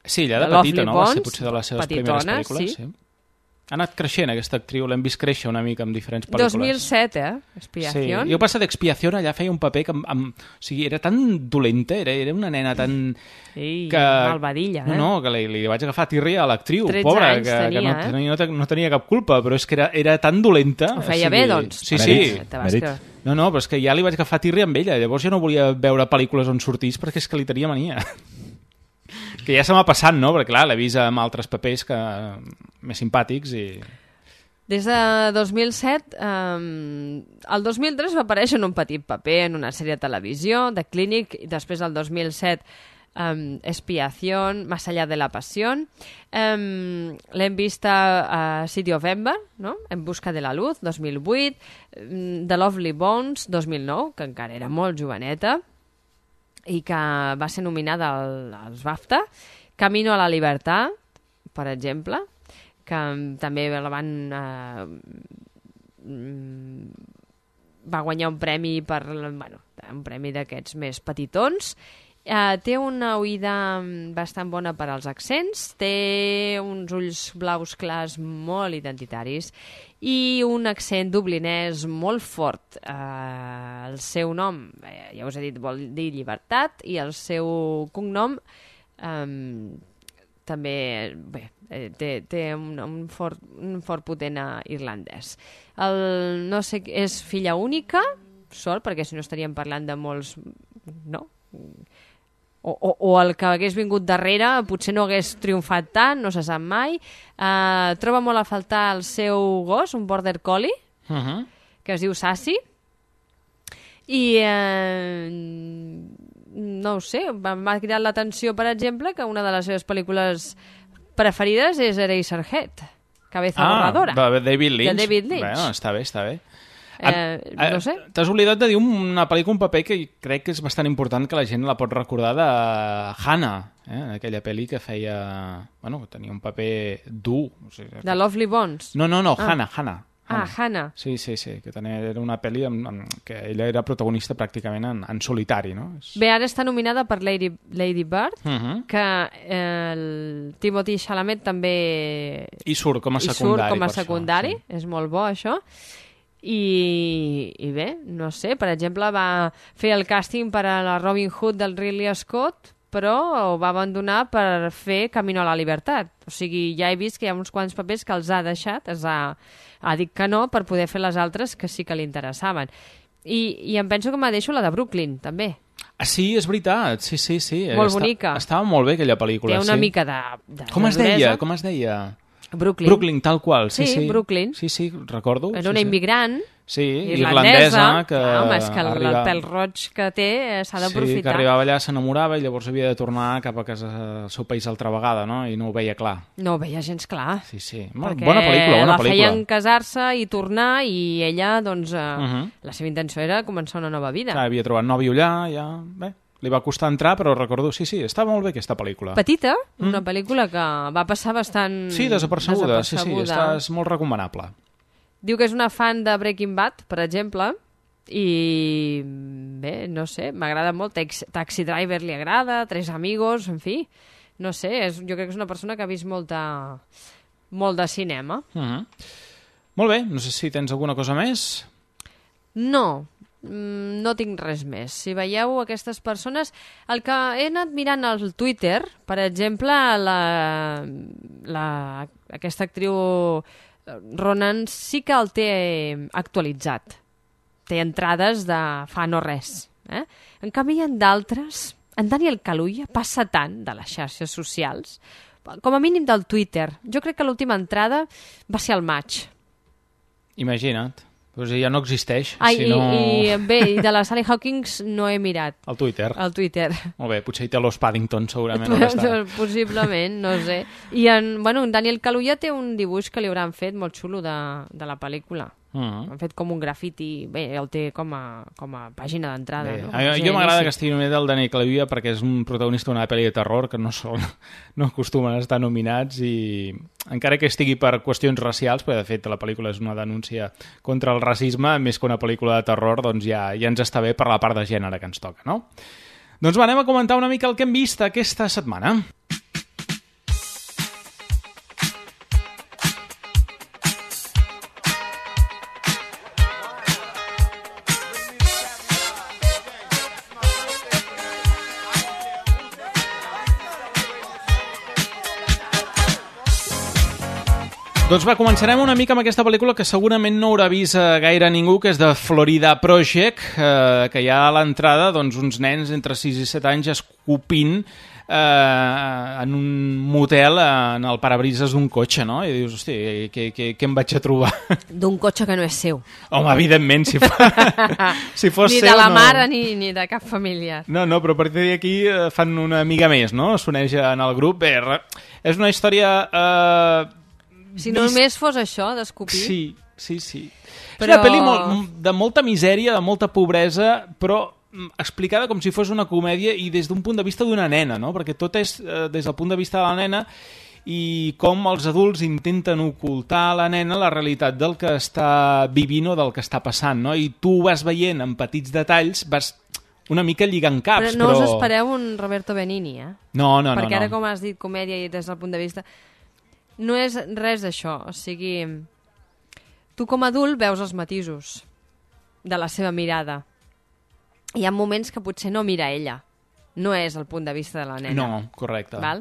Sí, allà de petita, no? Va ser potser de les seves primeres pel·lícules, sí. Ha anat creixent aquesta actriu, l'hem vist créixer una mica amb diferents pel·lícules. 2007, Expiación. Sí, jo passa d'Expiación allà feia un paper que o sigui, era tan dolenta, era una nena tan... malvadilla, No, que li vaig agafar tirria a l'actriu, 13 pobra, anys que no tenia cap culpa, però és que era tan dolenta... Ho feia bé, doncs. Sí. No, però és que ja li vaig agafar tirria amb ella, llavors jo no volia veure pel·lícules on sortís perquè és que li tenia mania. Que ja se m'ha passat, no? Perquè, clar, l'he vist amb altres papers més simpàtics i... Des de 2007, el 2003 va aparèixer en un petit paper en una sèrie de televisió, de Clínic, i després el 2007 Expiación, Más allá de la pasión. L'hem vist a City of Ember, no? En busca de la luz, 2008, The Lovely Bones, 2009, que encara era molt joveneta, i que va ser nominada als BAFTA. Camino a la Libertad, per exemple, que també la van... va guanyar un premi un premi d'aquests més petitons. Té una oïda bastant bona per als accents, té uns ulls blaus clars molt identitaris i un accent dublinès molt fort. El seu nom, ja us he dit, vol dir llibertat, i el seu cognom també té un fort potent irlandès. No sé, és filla única, sort, perquè si no estaríem parlant de molts... no? O el que hagués vingut darrere potser no hagués triomfat tant, no se sap mai. Troba molt a faltar el seu gos, un border collie, que es diu Sassy, i no ho sé, m'ha cridat l'atenció, per exemple, que una de les seves pel·lícules preferides és Eraserhead, Cabeza borradora. De David Lynch. De David Lynch. Bueno, està bé. No sé. T'has oblidat de dir una pel·lícula, un paper que crec que és bastant important, que la gent la pot recordar, de Hannah, aquella pel·li que feia... Bueno, tenia un paper dur. O sigui, The Lovely Bones? No, Hannah. Hannah. Sí, que era una pel·li que ella era protagonista pràcticament en solitari, no? Bé, ara està nominada per Lady Bird, que el Timothée Chalamet també... I surt com a secundari. És molt bo, això. I bé, no sé, per exemple, va fer el càsting per a la Robin Hood del Ridley Scott, però ho va abandonar per fer Camino a la Libertad. O sigui, ja he vist que hi ha uns quants papers que els ha deixat, ha dit que no, per poder fer les altres que sí que li interessaven. I em penso que me deixo la de Brooklyn, també. Ah, sí, és veritat, sí. Molt bonica. Estava molt bé aquella pel·lícula. Té una mica de Com es deia? Brooklyn, tal qual. Sí, Brooklyn. Sí, recordo. Era una immigrant irlandesa, que home, és que el pèl roig que té s'ha d'aprofitar. Sí, que arribava allà, s'enamorava i llavors havia de tornar cap a casa, al seu país altra vegada, no? I no ho veia clar. No ho veia gens clar. Sí. Bona pel·lícula. La feien casar-se i tornar i ella, doncs, la seva intenció era començar una nova vida. Clar, havia trobat nòvio allà, ja... Bé, li va costar entrar, però recordo, sí, està molt bé aquesta pel·lícula. Petita, una pel·lícula que va passar bastant... Sí, desapercebuda. Sí, és molt recomanable. Diu que és una fan de Breaking Bad, per exemple, i bé, no sé, m'agrada molt. Taxi Driver li agrada, Tres Amigos, en fi, no sé, jo crec que és una persona que ha vist molt de cinema. Molt bé, no sé si tens alguna cosa més. No tinc res més. Si veieu aquestes persones... El que he anat mirant al Twitter, per exemple, aquesta actriu Ronan sí que el té actualitzat. Té entrades de fa no res. En canvi, hi ha d'altres... En Daniel Kaluuya passa tant de les xarxes socials, com a mínim del Twitter. Jo crec que l'última entrada va ser al maig. Imagina't. Pues ja no existeix. I de la Sally Hawkins no he mirat. Al Twitter. Molt bé, potser hi té l'Os Paddington, segurament. Possiblement, no sé. I en Daniel Kaluuya té un dibuix que li hauran fet molt xulo de la pel·lícula. Han fet com un grafiti. Bé, el té com a pàgina d'entrada. Jo m'agrada que estigui nominat el Daniel Kaluuya perquè és un protagonista d'una pel·li de terror que no acostumen a estar nominats, i encara que estigui per qüestions racials, perquè de fet la pel·lícula és una denúncia contra el racisme, més que una pel·lícula de terror, doncs ja ens està bé per la part de gènere que ens toca, no? Doncs anem a comentar una mica el que hem vist aquesta setmana. Doncs va, començarem una mica amb aquesta pel·lícula que segurament no haurà vist gaire ningú, que és de Florida Project, que hi ha a l'entrada uns nens entre 6 i 7 anys escopint en un motel en el parabrises d'un cotxe, no? I dius, hosti, què em vaig a trobar? D'un cotxe que no és seu. Home, evidentment, si fos ni seu... Ni de la mare ni de cap familiar. No, però a partir d'aquí fan una mica més, no? S'uneix en el grup. Bé, és una història... Si només fos això, d'escopir... Sí. És una pel·li de molta misèria, de molta pobresa, però explicada com si fos una comèdia i des d'un punt de vista d'una nena, no? Perquè tot és des del punt de vista de la nena i com els adults intenten ocultar a la nena la realitat del que està vivint o del que està passant, no? I tu ho vas veient en petits detalls, vas una mica lligant caps, però... No us espereu un Roberto Benigni, No. Perquè ara, com has dit, comèdia i des del punt de vista... No és res d'això, o sigui... Tu com a adult veus els matisos de la seva mirada. Hi ha moments que potser no mira ella. No és el punt de vista de la nena. No, correcte. Val?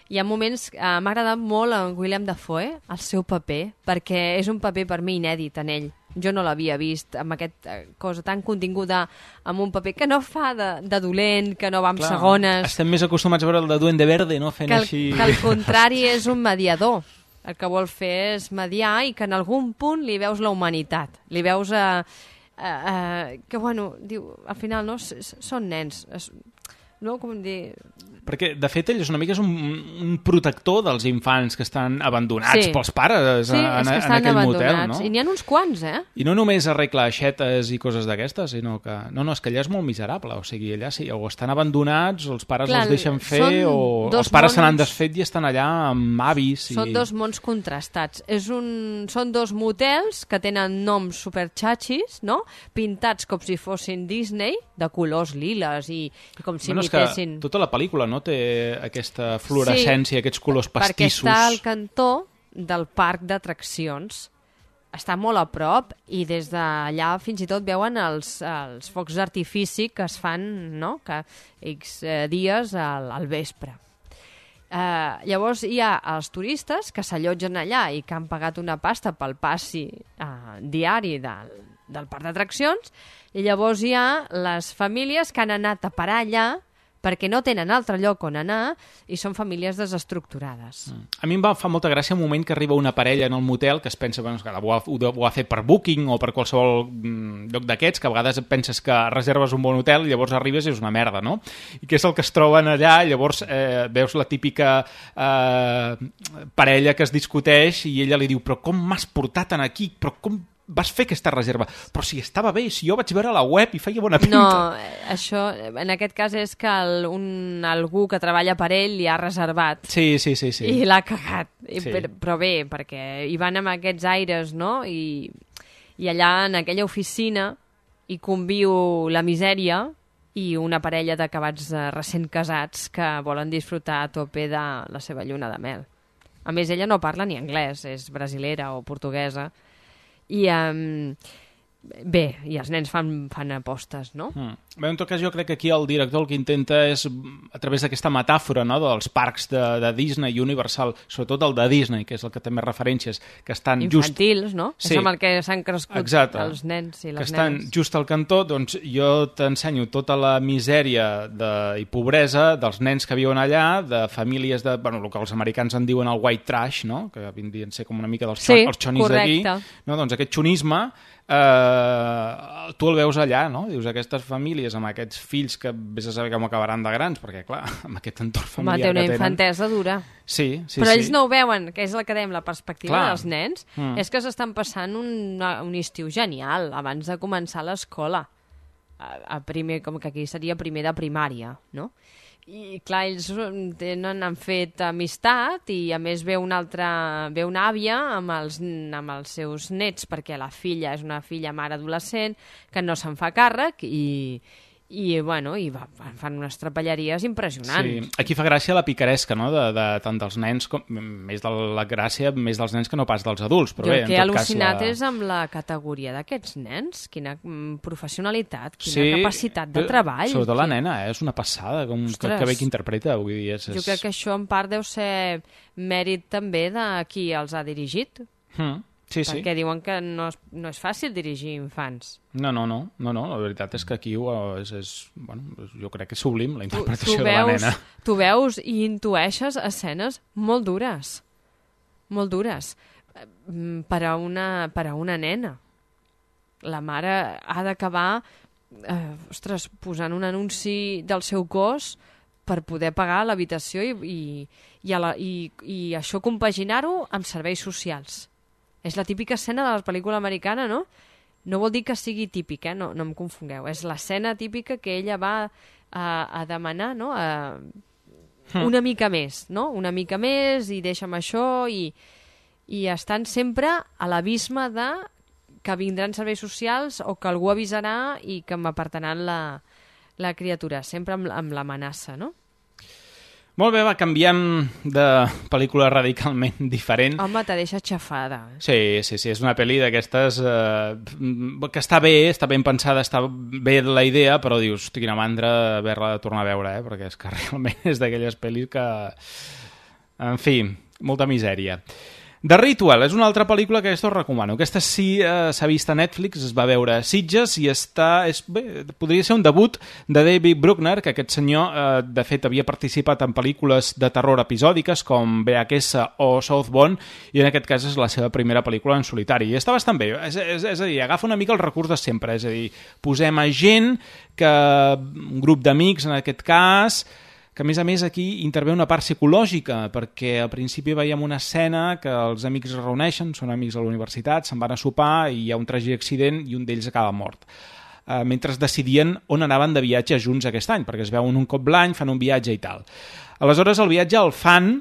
Hi ha moments... M'ha agradat molt en William Dafoe, el seu paper, perquè és un paper per mi inèdit en ell. Jo no l'havia vist amb aquesta cosa tan continguda, amb un paper que no fa de dolent, que no va amb segones... Estem més acostumats a veure el de Duende Verde, no? Fent així... Que al contrari és un mediador. El que vol fer és mediar i que en algun punt li veus la humanitat. Li veus que, bueno, diu, al final, no? Són nens. no? Com dir... Perquè, de fet, ell és una mica un protector dels infants que estan abandonats pels pares en aquell motel, no? I n'hi ha uns quants, I no només arregla aixetes i coses d'aquestes, sinó que... No, és que allà és molt miserable, o sigui, allà sí, o estan abandonats, o els pares els deixen fer, o els pares se n'han desfet i estan allà amb avis. Són dos mons contrastats. Són dos motels que tenen noms superxatxis, no? Pintats com si fossin Disney, de colors liles i com si imitessin... Tota la pel·lícula no té aquesta fluorescència, aquests colors pastissos. Perquè està al cantó del parc d'atraccions. Està molt a prop i des d'allà fins i tot veuen els focs d'artifici que es fan, no?, que X dies al vespre. Llavors hi ha els turistes que s'allotgen allà i que han pagat una pasta pel passi diari del parc d'atraccions, i llavors hi ha les famílies que han anat a parar allà perquè no tenen altre lloc on anar i són famílies desestructurades. A mi em fa molta gràcia un moment que arriba una parella en el motel que es pensa que ho ha fet per Booking o per qualsevol lloc d'aquests, que a vegades penses que reserves un bon hotel i llavors arribes i és una merda, no? I què és el que es troben allà? Llavors veus la típica parella que es discuteix i ella li diu, però com m'has portat aquí? Però com vas fer aquesta reserva? Però si estava bé, si jo vaig veure la web i feia bona pinta. No, això, en aquest cas és que algú que treballa per ell li ha reservat. Sí. I l'ha cagat. Sí. Però bé, perquè hi van amb aquests aires, no? I allà, en aquella oficina, hi conviu la misèria i una parella d'acabats recent casats que volen disfrutar a tope de la seva lluna de mel. A més, ella no parla ni anglès, és brasilera o portuguesa. I bé, i els nens fan apostes, no? Bé, en tot cas, jo crec que aquí el director el que intenta és, a través d'aquesta metàfora, no?, dels parcs de Disney i Universal, sobretot el de Disney, que és el que té més referències, que estan infantils, no? Sí. És amb el que s'han crescut els nens i les nenes. Que estan just al cantó, doncs jo t'ensenyo tota la misèria i pobresa dels nens que viuen allà, de famílies el que els americans en diuen el white trash, no?, que vindrien a ser com una mica els xonis d'aquí. No? Doncs aquest xonisme tu el veus allà, no? Dius, aquestes famílies amb aquests fills que vés a saber com acabaran de grans, perquè clar, amb aquest entorn familiar té una infantesa dura. Sí. Però ells no ho veuen, que és el que dèiem, la perspectiva dels nens, és que s'estan passant un estiu genial abans de començar l'escola. Com que aquí seria primer de primària, no? I clar, ells han fet amistat i a més ve una àvia amb els seus nets, perquè la filla és una filla mare adolescent que no se'n fa càrrec i fan unes trapelleries impressionants. Sí, aquí fa gràcia la picaresca, no?, de tant dels nens, més de la gràcia, més dels nens que no pas dels adults. Però jo el que he al·lucinat és amb la categoria d'aquests nens, quina professionalitat, quina capacitat de treball. Sobretot la nena, és una passada, que bé que interpreta. Vull dir, jo crec que això en part deu ser mèrit també de qui els ha dirigit. Sí. Perquè diuen que no és fàcil dirigir infants. No, la veritat és que aquí jo crec que és sublim la interpretació de la nena. Tu veus i intueixes escenes molt dures per a una nena. La mare ha d'acabar posant un anunci del seu cos per poder pagar l'habitació i això compaginar-ho amb serveis socials. És la típica escena de la pel·lícula americana, no? No vol dir que sigui típic, no em confongueu. És l'escena típica que ella va a demanar, no?, una mica més, no? Una mica més i deixa'm això i estan sempre a l'abisme de que vindran serveis socials o que algú avisarà i que m'apartaran la criatura, sempre amb l'amenaça, no? Molt bé, canviem de pel·lícula radicalment diferent. Home, te deixa xafada. Sí, és una pel·li d'aquestes que està ben pensada, està bé la idea, però dius, quina mandra haver-la de tornar a veure, perquè és que realment és d'aquelles pel·lis que... En fi, molta misèria. The Ritual és una altra pel·lícula que aquesta us recomano. Aquesta sí s'ha vist a Netflix, es va veure a Sitges i podria ser un debut de David Bruckner, que aquest senyor de fet havia participat en pel·lícules de terror episòdiques com VHS o Southbound, i en aquest cas és la seva primera pel·lícula en solitari. I està bastant bé, és a dir, agafa una mica el recurs de sempre, és a dir, posem a gent, un grup d'amics en aquest cas, que a més aquí intervé una part psicològica, perquè al principi veiem una escena que els amics es reuneixen, són amics a la universitat, se'n van a sopar i hi ha un tràgic accident i un d'ells acaba mort. Mentre decidien on anaven de viatge junts aquest any, perquè es veuen un cop l'any, fan un viatge i tal. Aleshores el viatge el fan,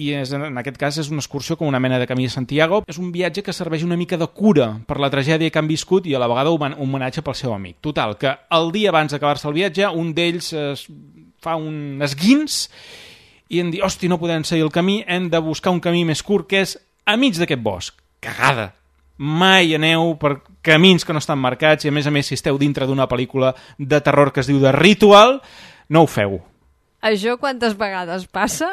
i en aquest cas és una excursió com una mena de camí de Santiago, és un viatge que serveix una mica de cura per la tragèdia que han viscut i a la vegada un homenatge pel seu amic. Total, que el dia abans d'acabar-se el viatge, un d'ells fa un esguins i em diu, hosti, no podem seguir el camí, hem de buscar un camí més curt que és a mig d'aquest bosc. Cagada! Mai aneu per camins que no estan marcats i a més si esteu dintre d'una pel·lícula de terror que es diu The Ritual, no ho feu. Això quantes vegades passa?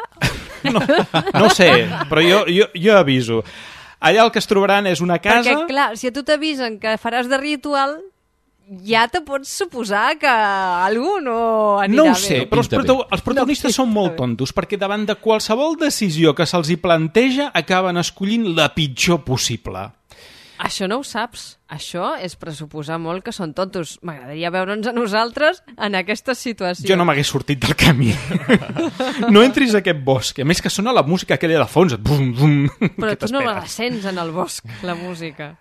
No ho sé, però jo aviso. Allà el que es trobaran és una casa... Perquè, clar, si a tu t'avisen que faràs de ritual, ja te pots suposar que algú no anirà bé. No ho sé, però els protagonistes són molt tontos, perquè davant de qualsevol decisió que se'ls hi planteja acaben escollint la pitjor possible. Això no ho saps. Això és pressuposar molt que són tontos. M'agradaria veure'ns a nosaltres en aquesta situació. Jo no m'hagués sortit del camí. No entris a aquest bosc. A més que sona la música aquella de fons. Bum, bum, però tu no la sents en el bosc, la música.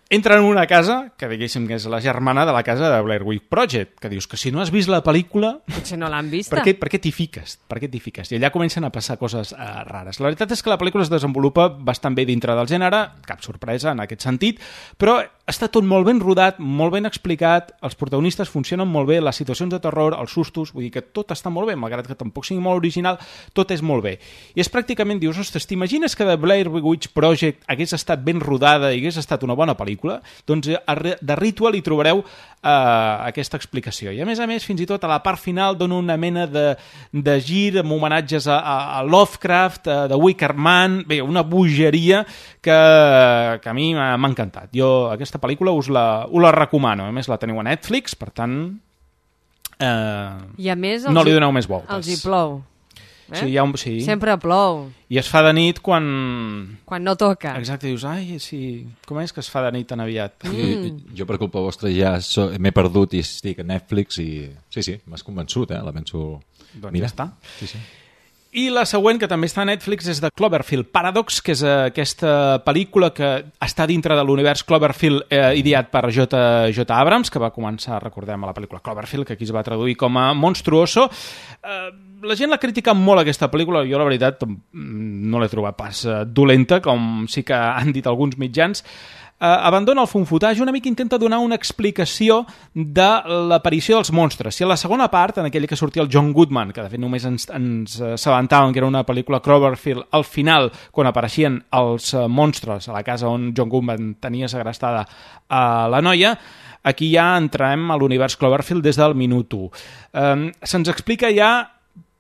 Entren en una casa, que diguéssim que és la germana de la casa de Blair Witch Project, que dius que si no has vist la pel·lícula... Potser no l'han vista. Per què t'hi fiques? I allà comencen a passar coses rares. La veritat és que la pel·lícula es desenvolupa bastant bé dintre del gènere, cap sorpresa en aquest sentit, però està tot molt ben rodat, molt ben explicat, els protagonistes funcionen molt bé, les situacions de terror, els sustos, vull dir que tot està molt bé, malgrat que tampoc sigui molt original, tot és molt bé. I és pràcticament, dius, ostres, t'imagines que The Blair Witch Project hagués estat ben rodada i hagués estat una bona pel·lícula? Doncs a The Ritual hi trobareu aquesta explicació. I a més, fins i tot a la part final dona una mena de gir amb homenatges a Lovecraft, de Wicker Man, bé, una bogeria que a mi m'ha encantat. Jo aquesta pel·lícula us la recomano. A més, la teniu a Netflix, per tant, i a més, no li doneu més voltes. Els hi plou. Sí. Sempre plou. I es fa de nit quan no toca. Exacte, dius, ai, sí, com és que es fa de nit tan aviat? Jo per culpa vostra ja m'he perdut i estic a Netflix i sí, m'has convençut, la penso... Doncs ja està. Sí. I la següent, que també està a Netflix, és de Cloverfield Paradox, que és aquesta pel·lícula que està dintre de l'univers Cloverfield ideat per J. Abrams, que va començar, recordem, a la pel·lícula Cloverfield, que aquí es va traduir com a Monstruoso. La gent l'ha criticat molt, aquesta pel·lícula. Jo, la veritat, no l'he trobat pas dolenta, com sí que han dit alguns mitjans. Abandona el funfutage, una mica intenta donar una explicació de l'aparició dels monstres. Si a la segona part, en aquella que sortia el John Goodman, que de fet només ens assabentàvem que era una pel·lícula Cloverfield, al final, quan apareixien els monstres a la casa on John Goodman tenia segrestada a la noia, aquí ja entrem a l'univers Cloverfield des del minut 1. Se'ns explica ja,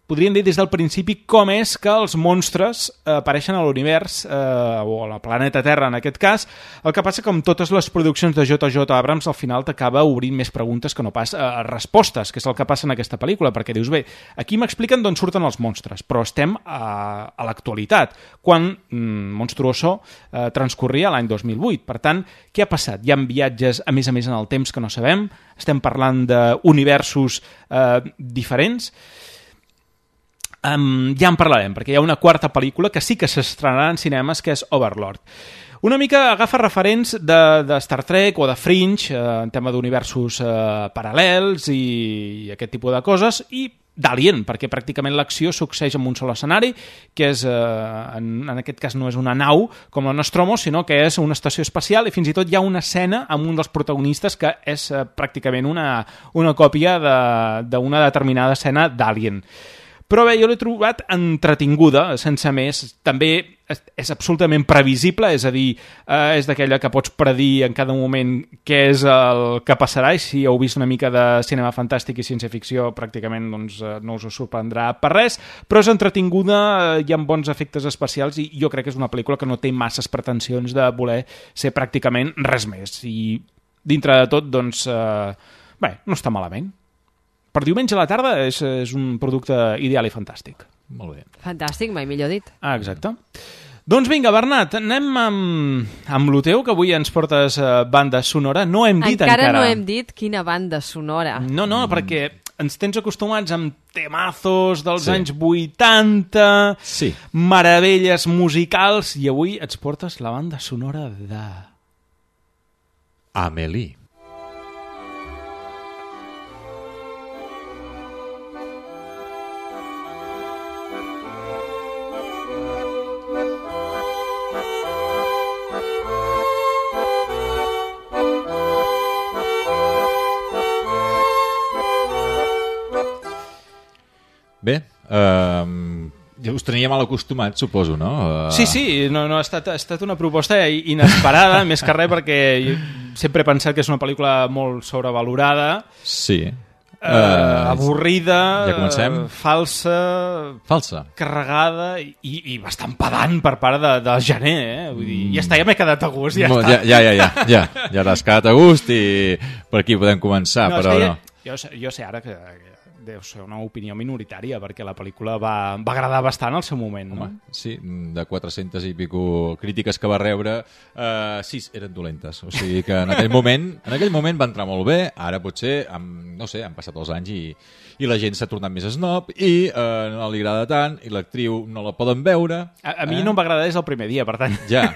podríem dir des del principi, com és que els monstres apareixen a l'univers, o a la planeta Terra en aquest cas. El que passa que amb totes les produccions de J. Abrams al final t'acaba obrint més preguntes que no pas respostes, que és el que passa en aquesta pel·lícula, perquè dius, bé, aquí m'expliquen d'on surten els monstres, però estem a l'actualitat, quan Monstruoso transcorria l'any 2008. Per tant, què ha passat? Hi ha viatges, a més en el temps que no sabem, estem parlant d'universos diferents. Ja en parlarem, perquè hi ha una quarta pel·lícula que sí que s'estrenarà en cinemes, que és Overlord. Una mica agafa referents de Star Trek o de Fringe, en tema d'universos paral·lels i aquest tipus de coses, i d'Alien, perquè pràcticament l'acció succeeix en un sol escenari, que és, en aquest cas no és una nau com la Nostromo, sinó que és una estació espacial, i fins i tot hi ha una escena amb un dels protagonistes que és pràcticament una còpia d'una determinada escena d'Alien. Però bé, jo l'he trobat entretinguda, sense més. També és absolutament previsible, és a dir, és d'aquella que pots predir en cada moment què és el que passarà, i si heu vist una mica de cinema fantàstic i ciència-ficció, pràcticament doncs, no us sorprendrà per res, però és entretinguda, hi ha bons efectes especials, i jo crec que és una pel·lícula que no té masses pretensions de voler ser pràcticament res més. I dintre de tot, doncs, bé, no està malament. Per diumenge a la tarda és un producte ideal i fantàstic. Molt bé. Fantàstic, mai millor dit. Ah, exacte. Doncs vinga, Bernat, anem amb lo teu, que avui ens portes banda sonora. No hem dit encara... Encara no hem dit quina banda sonora. No, perquè ens tens acostumats amb temazos dels anys 80, meravelles musicals, i avui ens portes la banda sonora de... Amélie. Bé, us tenia mal acostumat, suposo, no? Sí, no, ha estat una proposta inesperada, més que res perquè sempre he pensat que és una pel·lícula molt sobrevalorada. Sí. Avorrida, ja comencem. Falsa, carregada i bastant pedant per part de Gené, vull dir, ja m'he quedat a gust, ja està. Ja t'has quedat a gust i per aquí podem començar, però no. Jo sé ara que deu ser una opinió minoritària, perquè la pel·lícula va agradar bastant al seu moment, no? Sí, de 400 i pico crítiques que va rebre, 6 eren dolentes. O sigui que en aquell moment va entrar molt bé, ara potser, no sé, han passat els anys i la gent s'ha tornat més snob i no li agrada tant, i l'actriu no la poden veure. A mi no em va agradar des del primer dia, per tant. Ja,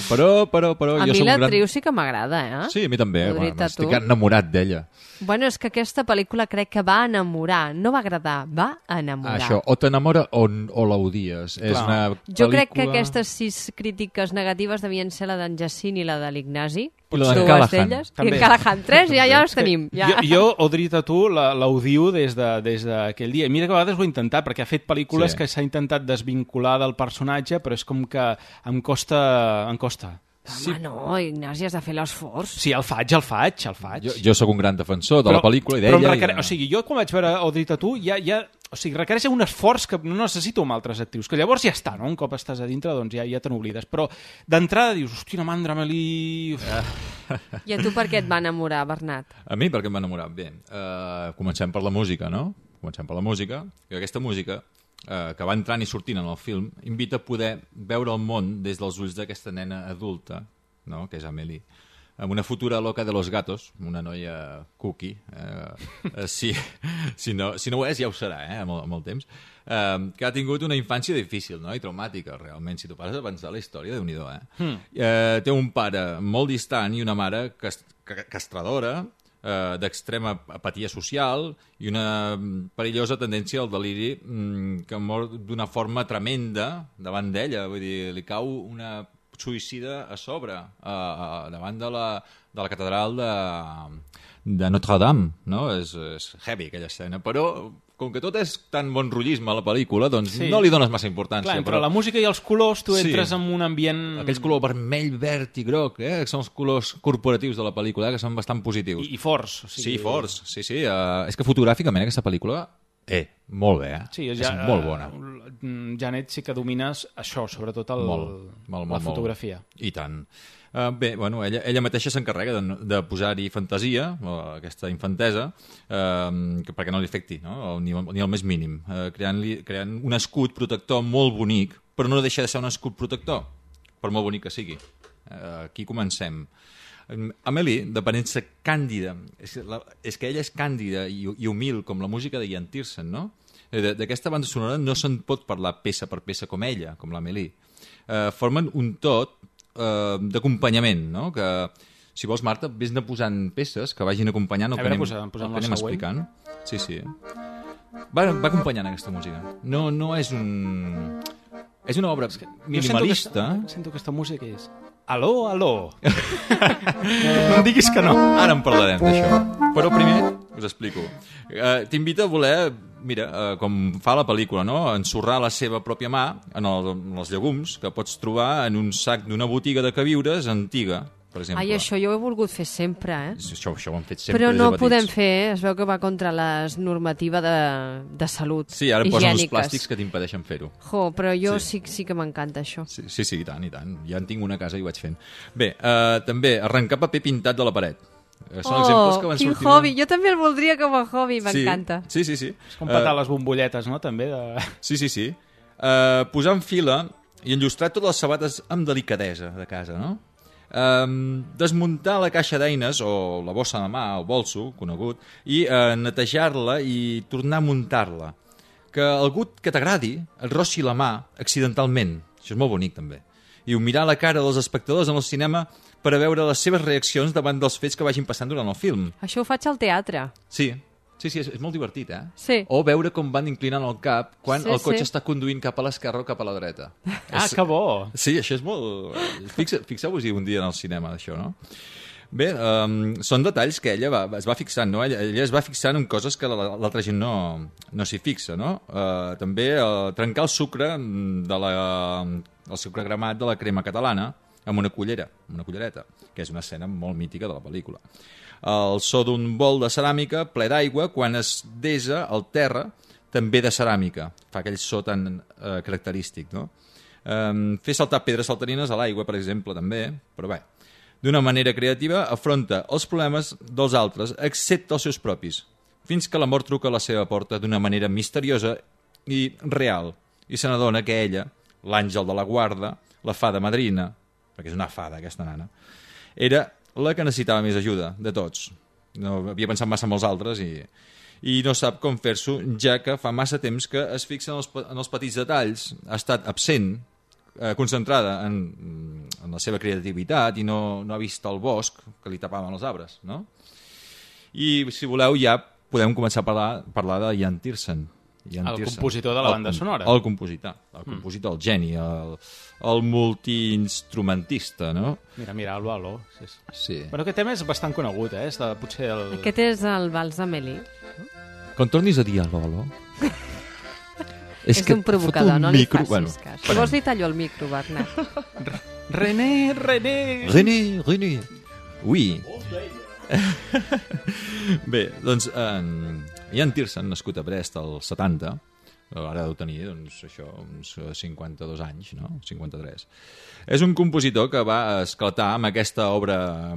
però... A mi l'actriu sí que m'agrada, eh? Sí, a mi també, estic enamorat d'ella. Bueno, és que aquesta pel·lícula crec que va enamorar, no va agradar, va enamorar. Això, o t'enamora o l'odies. És una pel·lícula... Jo crec que aquestes 6 crítiques negatives devien ser la d'en Jacint i la de l'Ignasi. I la d'en Callahan. I en Callahan, 3, ja els tenim. Jo, Audrey Tautou, l'odio des d'aquell dia. Mira que a vegades ho he intentat, perquè ha fet pel·lícules que s'ha intentat desvincular del personatge, però és com que em costa. Home, no, Ignasi, has de fer l'esforç. Sí, el faig. Jo sóc un gran defensor de la pel·lícula i d'ella. O sigui, jo quan vaig veure Audrey Tautou o sigui, requereix un esforç que no necessito amb altres actrius, que llavors ja està, no? Un cop estàs a dintre, doncs ja te n'oblides. Però d'entrada dius, hòstia, una mandra, Amélie... I a tu per què et va enamorar, Bernat? A mi per què em va enamorar? Bé, comencem per la música, no? Que aquesta música, que va entrant i sortint en el film, invita a poder veure el món des dels ulls d'aquesta nena adulta, no? Que és Amélie, amb una futura loca de los gatos, una noia cookie, si no ho és ja ho serà, amb el temps, que ha tingut una infància difícil, no? I traumàtica, realment, si tu pares a pensar la història, Déu-n'hi-do, té un pare molt distant i una mare castradora, d'extrema apatia social i una perillosa tendència al deliri que mor d'una forma tremenda davant d'ella, vull dir, li cau una suïcida a sobre davant de la catedral de Notre-Dame, no? És heavy aquella escena, però com que tot és tan bon rotllisme a la pel·lícula, doncs no li dones massa importància. Clar, entre la música i els colors tu entres en un ambient... Aquells colors vermell, verd i groc, que són els colors corporatius de la pel·lícula, que són bastant positius. I forts. Sí, forts, sí. És que fotogràficament aquesta pel·lícula... molt bé, sí, és molt bona. Janet sí que domines això, sobretot la fotografia. I tant. Bé, bueno, ella mateixa s'encarrega de posar-hi fantasia, aquesta infantesa, perquè no li afecti, no? Ni el més mínim, creant un escut protector molt bonic, però no deixa de ser un escut protector, per molt bonic que sigui. Aquí comencem. Amélie, d'aparença càndida, és que ella és càndida i humil com la música de Ian Tiersen, no? D'aquesta banda sonora no se'n pot parlar peça per peça com ella, com l'Amélie. Formen un tot d'acompanyament, no? Que, si vols, Marta, vés-ne posant peces que vagin acompanyant el que anem explicant. Sí. Va acompanyant aquesta música. No és un... És una obra minimalista. Sento que aquesta música és... Aló. No em diguis que no. Ara en parlarem d'això. Però primer us explico. T'invito a voler mira, com fa la pel·lícula, no? Ensorrar la seva pròpia mà en els llegums que pots trobar en un sac d'una botiga de queviures antiga, per exemple. Ai, això jo ho he volgut fer sempre, Això ho han fet sempre. Però no ho podem fer, es veu que va contra les normativa de salut Sí, ara higièniques. posen uns plàstics que t'impedeixen fer-ho. Però jo sí que m'encanta això. Sí, i tant, i tant. Ja en tinc una a casa i ho vaig fent. Bé, també, arrencar paper pintat de la paret. Són exemples que van quin sortint... hobby! Jo també el voldria com a hobby, m'encanta. Sí. És com petar les bombolletes, no?, també. Sí. Posar en fila i enllustrar totes les sabates amb delicadesa de casa, no? Desmuntar la caixa d'eines o la bossa de mà, el bolso, conegut, i netejar-la i tornar a muntar-la. Que algú que t'agradi et rossi la mà accidentalment. Això és molt bonic, també. I mirar la cara dels espectadors en el cinema per a veure les seves reaccions davant dels fets que vagin passant durant el film. Això ho faig al teatre. Sí, és molt divertit, Sí. O veure com van inclinant el cap quan Sí, el cotxe sí. està conduint cap a l'esquerra o cap a la dreta. Que bo! Sí, això és molt... Fixeu-vos-hi un dia en el cinema, d'això, no? Bé, són detalls que ella es va fixant, no? Ella es va fixant en coses que l'altra gent no s'hi fixa, no? També trencar el sucre el sucre gramat de la crema catalana amb una cullereta, que és una escena molt mítica de la pel·lícula. El so d'un bol de ceràmica ple d'aigua quan es desa el terra, també de ceràmica. Fa aquell so tan característic, no? Fer saltar pedres saltarines a l'aigua, per exemple, també, però bé. D'una manera creativa, afronta els problemes dels altres, excepte els seus propis, fins que la mort truca a la seva porta d'una manera misteriosa i real, i se n'adona que ella, l'àngel de la guarda, la fada madrina, perquè és una fada aquesta nana, era la que necessitava més ajuda de tots. No havia pensat massa en els altres i no sap com fer-s'ho, ja que fa massa temps que es fixa en els petits detalls, ha estat absent, concentrada en la seva creativitat i no ha vist el bosc que li tapaven els arbres, no? I si voleu ja podem començar a parlar de Ian Tiersen. El compositor de la banda sonora. El compositor, el geni, el multiinstrumentista, no? Mira, Aló. Sí. Però aquest tema és bastant conegut, és potser el... Aquest és el Vals d'Amélie. Quan tornis a dir Aló... És un provocador, no li facis cas. Si vols li tallo el micro, Bernat. René! Oui. Bé, doncs Ian Tiersen, nascut a Brest al 70, ara deu tenir uns 52 anys, no? 53. És un compositor que va esclatar amb aquesta obra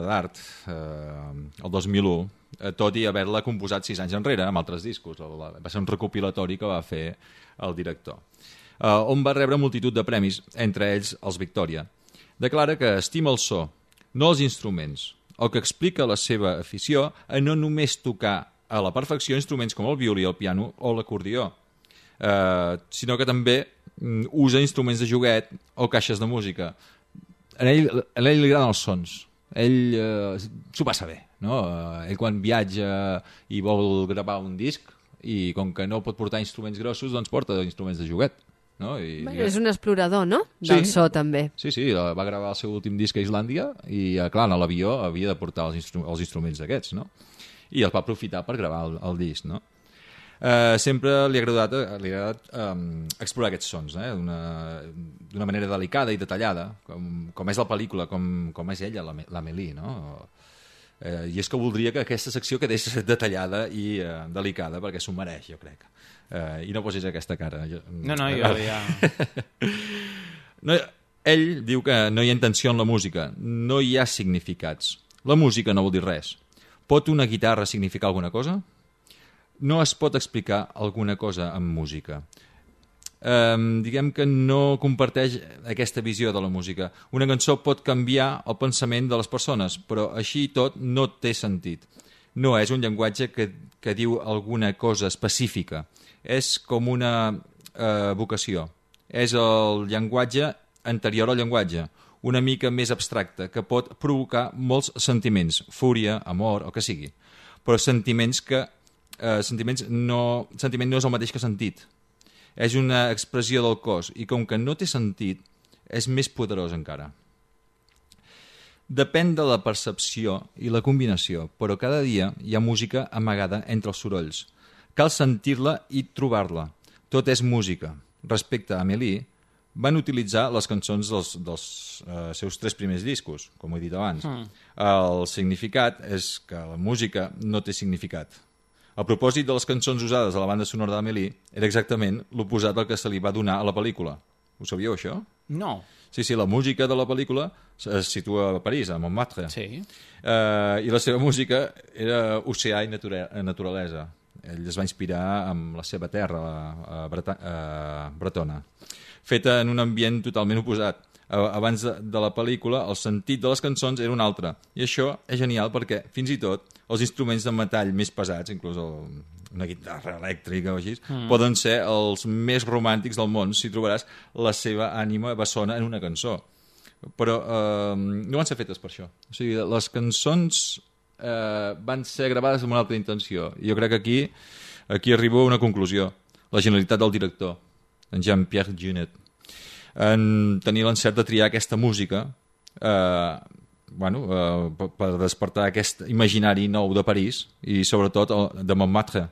d'art el 2001, tot i haver-la composat 6 anys enrere, amb altres discos. Va ser un recopilatori que va fer el director, on va rebre multitud de premis, entre ells els Victòria. Declara que estima el so, no els instruments, o que explica la seva afició a no només tocar a la perfecció instruments com el violí, el piano o l'acordió, sinó que també usa instruments de joguet o caixes de música. A ell li agraden els sons. Ell s'ho passa bé, no? Ell quan viatja i vol gravar un disc i com que no pot portar instruments grossos, doncs porta instruments de joguet, no? És un explorador, no? Del so, també. Sí, va gravar el seu últim disc a Islàndia i, clar, a l'avió havia de portar els instruments d'aquests, no? I els va aprofitar per gravar el disc, no? Sempre li ha agradat explorar aquests sons, d'una manera delicada i detallada, com és la pel·lícula, com és ella, l'Amélie, no? I és que voldria que aquesta secció quedés detallada i delicada, perquè s'ho mereix, jo crec. I no posis aquesta cara. No, jo ja... Ell diu que no hi ha intenció en la música, no hi ha significats. La música no vol dir res. Pot una guitarra significar alguna cosa? No es pot explicar alguna cosa amb música. Diguem que no comparteix aquesta visió de la música. Una cançó pot canviar el pensament de les persones, però així tot no té sentit. No és un llenguatge que diu alguna cosa específica. És com una vocació. És el llenguatge anterior al llenguatge, una mica més abstracte, que pot provocar molts sentiments, fúria, amor, o que sigui. Però sentiment no és el mateix que sentit. És una expressió del cos i com que no té sentit, és més poderós encara. Depèn de la percepció i la combinació, però cada dia hi ha música amagada entre els sorolls. Cal sentir-la i trobar-la. Tot és música. Respecte a Amélie, van utilitzar les cançons dels seus 3 primers discos, com he dit abans. El significat és que la música no té significat. El propòsit de les cançons usades a la banda sonora d'Amélie era exactament l'oposat del que se li va donar a la pel·lícula. Ho sabíeu, això? No. Sí, la música de la pel·lícula es situa a París, a Montmartre. Sí. I la seva música era oceà i naturalesa. Ell es va inspirar amb la seva terra, bretona, feta en un ambient totalment oposat. Abans de la pel·lícula, el sentit de les cançons era un altre. I això és genial perquè, fins i tot, els instruments de metall més pesats, inclús una guitarra elèctrica o així, poden ser els més romàntics del món si trobaràs la seva ànima bessona en una cançó. Però no van ser fetes per això. O sigui, les cançons van ser gravades amb una altra intenció. I jo crec que aquí arribo a una conclusió. La genialitat del director, en Jean-Pierre Jeunet, en tenir l'encert de triar aquesta música per despertar aquest imaginari nou de París i sobretot de Montmartre.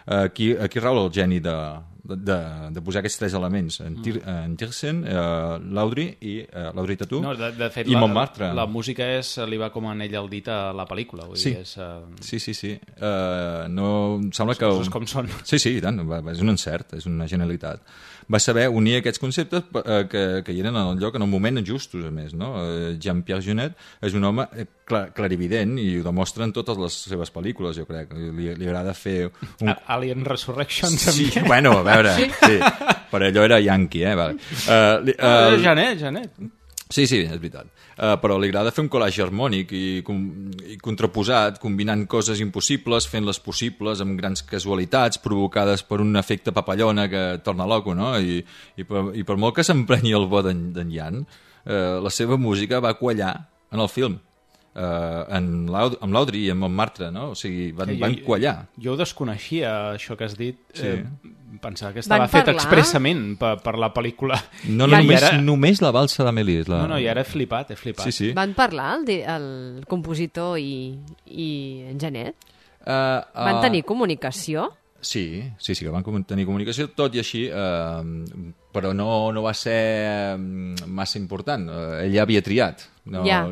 Aquí rau el geni de posar aquests 3 elements, en Tiersen, l'Audrey Tautou de fet, i Montmartre. La música li va com anell al dit a la pel·lícula. Vull dir, sí. No, em sembla que... Les coses com són. Sí, i tant, és un encert, és una genialitat. Va saber unir aquests conceptes que hi eren en el lloc en un moment justos, a més. No? Jean-Pierre Jeunet és un home clarivident i ho demostra en totes les seves pel·lícules, jo crec. Li agrada fer... Alien Resurrection, sí, també. Bueno, a veure, sí. Per allò era yankee, Vale. Janet. Sí, és veritat. Però li agrada fer un collage harmònic i contraposat, combinant coses impossibles, fent-les possibles amb grans casualitats provocades per un efecte papallona que torna loco, no? I per molt que s'emprenyi el bo d'en Jan, la seva música va quallar en el film. Amb l'Audrey i amb Montmartre, no? O sigui, van quallar. Jo ho desconeixia, això que has dit. Sí. Pensava que estava fet expressament per la pel·lícula. No, només la valsa d'Amélie. No, i ara he flipat. Sí. Van parlar el compositor i en Janet? Van tenir comunicació? Sí, que van tenir comunicació, tot i així, però no va ser massa important. Ell ja havia triat,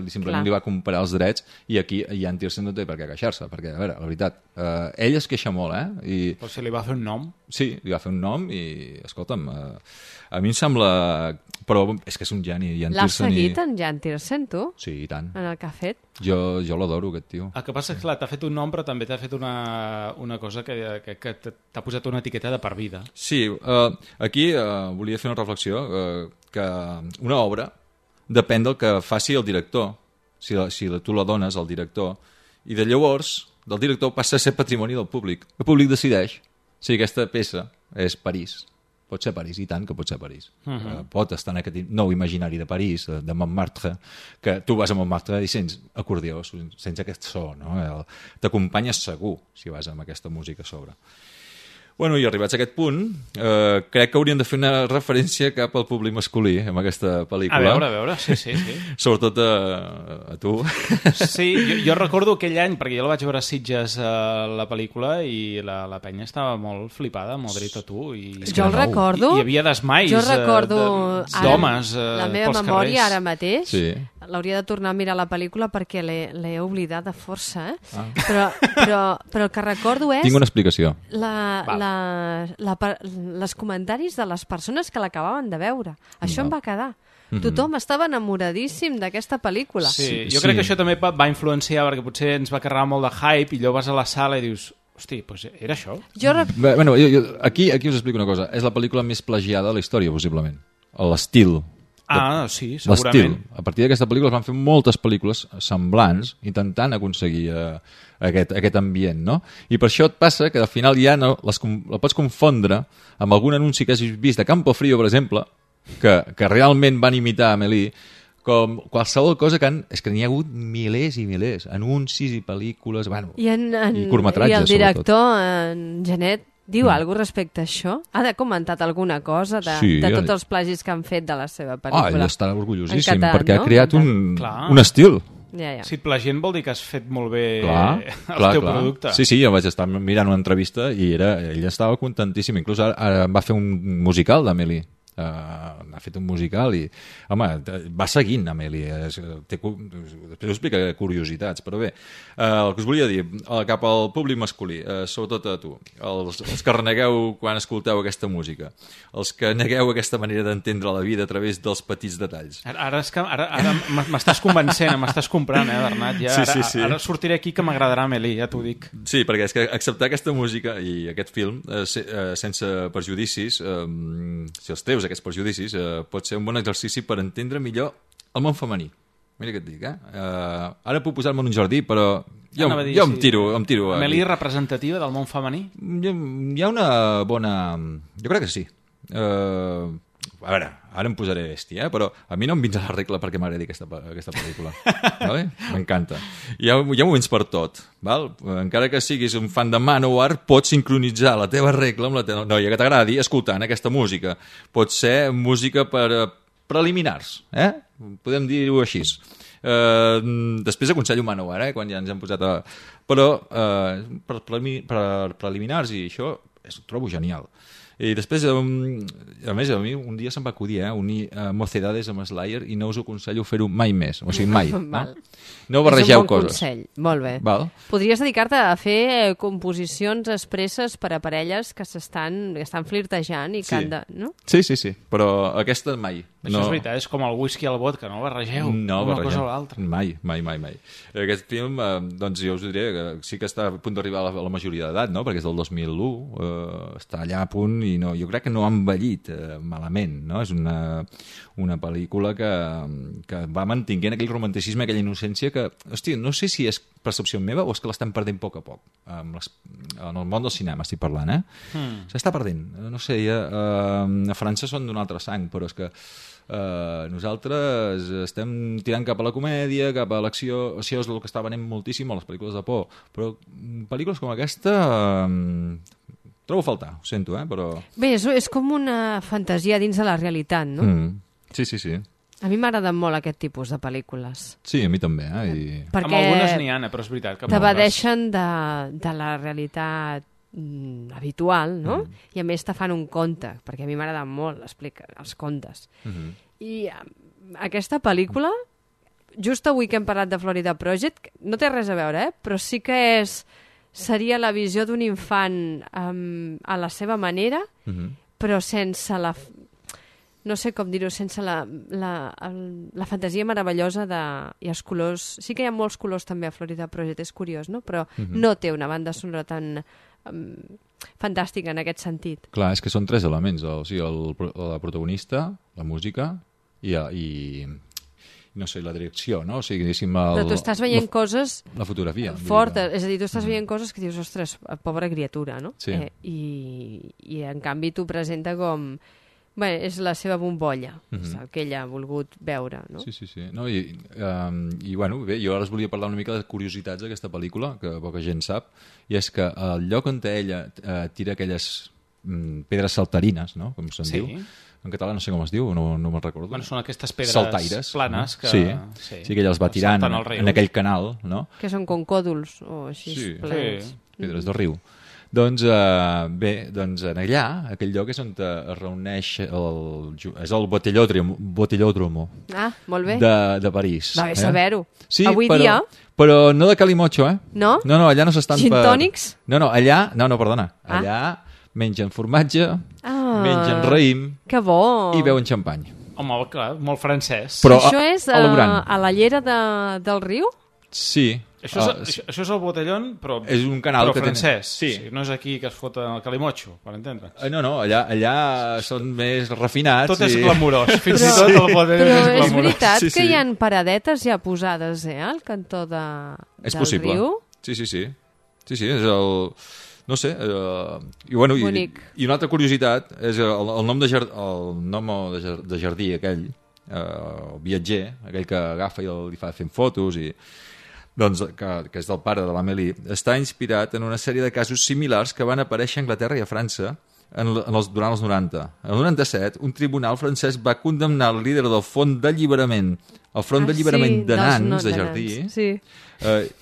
simplement li va comprar els drets i aquí Jan Tiersen no té per què queixar-se, perquè, a veure, la veritat, ell es queixa molt, Però si li va fer un nom. Sí, li va fer un nom i, escolta'm, a mi em sembla... Però és que és un geni, Jan L'has Tiersen. seguit, en Jan Tiersen, tu? Sí, i tant. En el que ha fet? Jo l'adoro, aquest tio. El que passa és que t'ha fet un nom, però també t'ha fet una cosa que t'ha posat una etiqueta de per vida. Sí, aquí volia fer una reflexió, que una obra depèn del que faci el director, si tu la dones al director, i de llavors del director passa a ser patrimoni del públic. El públic decideix si aquesta peça és París. Pot ser París, i tant que pot ser París. Pot estar en aquest nou imaginari de París, de Montmartre, que tu vas a Montmartre i sents acordió, sents aquest so, no? T'acompanyes segur si vas amb aquesta música a sobre. Bueno, i arribats a aquest punt, crec que hauríem de fer una referència cap al públic masculí amb aquesta pel·lícula. A veure, sí. Sobretot a tu. Sí, jo recordo aquell any, perquè jo la vaig veure a Sitges la pel·lícula i la penya estava molt flipada amb Audrey Tautou. Jo el recordo. Hi havia desmais d'homes la meva memòria ara mateix l'hauria de tornar a mirar la pel·lícula perquè l'he oblidat de força, però el que recordo és... Tinc una explicació. Les comentaris de les persones que l'acabaven de veure. Això em va quedar. Tothom estava enamoradíssim d'aquesta pel·lícula. Sí, jo crec que això també va influenciar perquè potser ens va carregar molt de hype i allò vas a la sala i dius... Hosti, doncs era això? Bueno, aquí us explico una cosa. És la pel·lícula més plagiada de la història, possiblement. L'estil. Sí, segurament. A partir d'aquesta pel·lícula es van fer moltes pel·lícules semblants intentant aconseguir aquest ambient, no? I per això et passa que al final ja la pots confondre amb algun anunci que hagis vist de Campo Frío, per exemple, que realment van imitar Amélie, com qualsevol cosa és que n'hi ha hagut milers i milers, anuncis i pel·lícules, i curtmetratges, i el director, en Janet, diu alguna cosa respecte a això? Ha comentat alguna cosa de tots els plagis que han fet de la seva pel·lícula? Ell està orgullosíssim, perquè ha creat un estil. Ja. Si et plagien vol dir que has fet molt bé el teu producte. Sí, jo vaig estar mirant una entrevista i ella estava contentíssima. Inclús ara va fer un musical d'Amélie. Ha fet un musical i, home, va seguint Amélie. Després us explicaré curiositats, però bé, el que us volia dir, cap al públic masculí, sobretot a tu, els que renegueu quan escolteu aquesta música, els que negueu aquesta manera d'entendre la vida a través dels petits detalls. Ara m'estàs convencent, m'estàs comprant, Bernat. Ara sortiré aquí que m'agradarà Amélie, ja t'ho dic. Sí, perquè és que acceptar aquesta música i aquest film sense perjudicis, si els teus aquests perjudicis, pot ser un bon exercici per entendre millor el món femení. Mira què et dic, Ara puc posar-me en un jardí, però jo em tiro. Amélie representativa del món femení? Hi ha una bona... Jo crec que sí. A veure, ara em posaré bèstia, però a mi no em vins a la regla perquè m'agradi aquesta pel·lícula. Vale? M'encanta. Hi ha moments per tot. Val? Encara que siguis un fan de Manowar, pots sincronitzar la teva regla amb la teva noia que t'agradi escoltant aquesta música. Pot ser música per preliminars, podem dir-ho així. Després aconsello Manowar, quan ja ens hem posat a... Però per preliminars i això ho trobo genial. I després, a més, a mi un dia se'm va acudir unir Mocedades amb Slayer i no us aconsello fer-ho mai més. O sigui, mai. No barregeu coses. És un bon consell. Molt bé. Val? Podries dedicar-te a fer composicions expresses per a parelles que estan flirtejant i que han de... No? Sí. Però aquesta mai. Això és veritat, és com el whisky i el vodka, no barregeu una cosa o l'altra. Mai. Aquest film, doncs jo us diré que sí que està a punt d'arribar a la majoria d'edat, no? Perquè és del 2001, està allà a punt i jo crec que no ha envellit malament, no? És una pel·lícula que va mantenint aquell romanticisme, aquella innocència que, hòstia, no sé si és percepció meva o és que l'estem perdent a poc. En el món del cinema estic parlant, s'està perdent. No sé, a França són d'un altre sang, però és que nosaltres estem tirant cap a la comèdia, cap a l'acció. Això és el que està venent moltíssim a les pel·lícules de por, però pel·lícules com aquesta trobo a faltar, ho sento, però... Bé, és com una fantasia dins de la realitat, no? Sí. A mi m'agraden molt aquest tipus de pel·lícules. Sí, a mi també, Perquè amb algunes n'hi ha, però és veritat que t'evadeixen de la realitat habitual, no? I a més te fan un conte, perquè a mi m'agraden molt els contes. I aquesta pel·lícula, just avui que hem parlat de Florida Project, no té res a veure, però sí que seria la visió d'un infant a la seva manera, però sense la... No sé com dir-ho, sense la fantasia meravellosa i els colors... Sí que hi ha molts colors també a Florida Project, és curiós, no? Però no té una banda sonora tan fantàstica en aquest sentit. Clar, és que són tres elements, o sigui, la protagonista, la música i no sé, la direcció, no? O sigui, diguéssim... Però tu estàs veient coses... La fotografia. Fortes, és a dir, tu estàs veient coses que dius, ostres, pobra criatura, no? Sí. I en canvi t'ho presenta com... Bé, és la seva bombolla, és el que ella ha volgut veure, no? Sí. No, i bueno, bé, jo ara us volia parlar una mica de curiositats d'aquesta pel·lícula, que poca gent sap, i és que el lloc on ella tira aquelles pedres saltarines, no? Com se'n diu. En català no sé com es diu, no me'n recordo. Bueno, són aquestes pedres saltaires, planes que... Sí, que ella els va tirant en aquell canal, no? Que són com còdols o així plens. Pedres del riu. Doncs bé, allà, aquell lloc és on es reuneix és el Botellòdromo molt bé. De París. Va bé saber-ho. Sí, avui dia... Però no de calimocho, No? No, allà no s'estan Gin tònics? No, allà... No, perdona. Allà mengen formatge, mengen raïm... Que bo! I beuen xampany. Home, clar, molt francès. Però això és a la llera del riu? Sí. Això és el Botellón, però és un canal però francès. Sí. No és aquí que es fot el calimocho, per entendre. No, allà són més refinats. Tot és glamurós, fins i tot el Botellón és glamurós. Però és veritat que hi ha paradetes ja posades, al cantó del riu? Sí, és el... No sé, i una altra curiositat és el nom de jardí aquell, el viatger, aquell que agafa i li fa fent fotos doncs, que és del pare de l'Amélie, està inspirat en una sèrie de casos similars que van aparèixer a Anglaterra i a França durant els 90. En el 97, un tribunal francès va condemnar el líder del Front d'Alliberament El front d'alliberament de nans de jardí. Sí.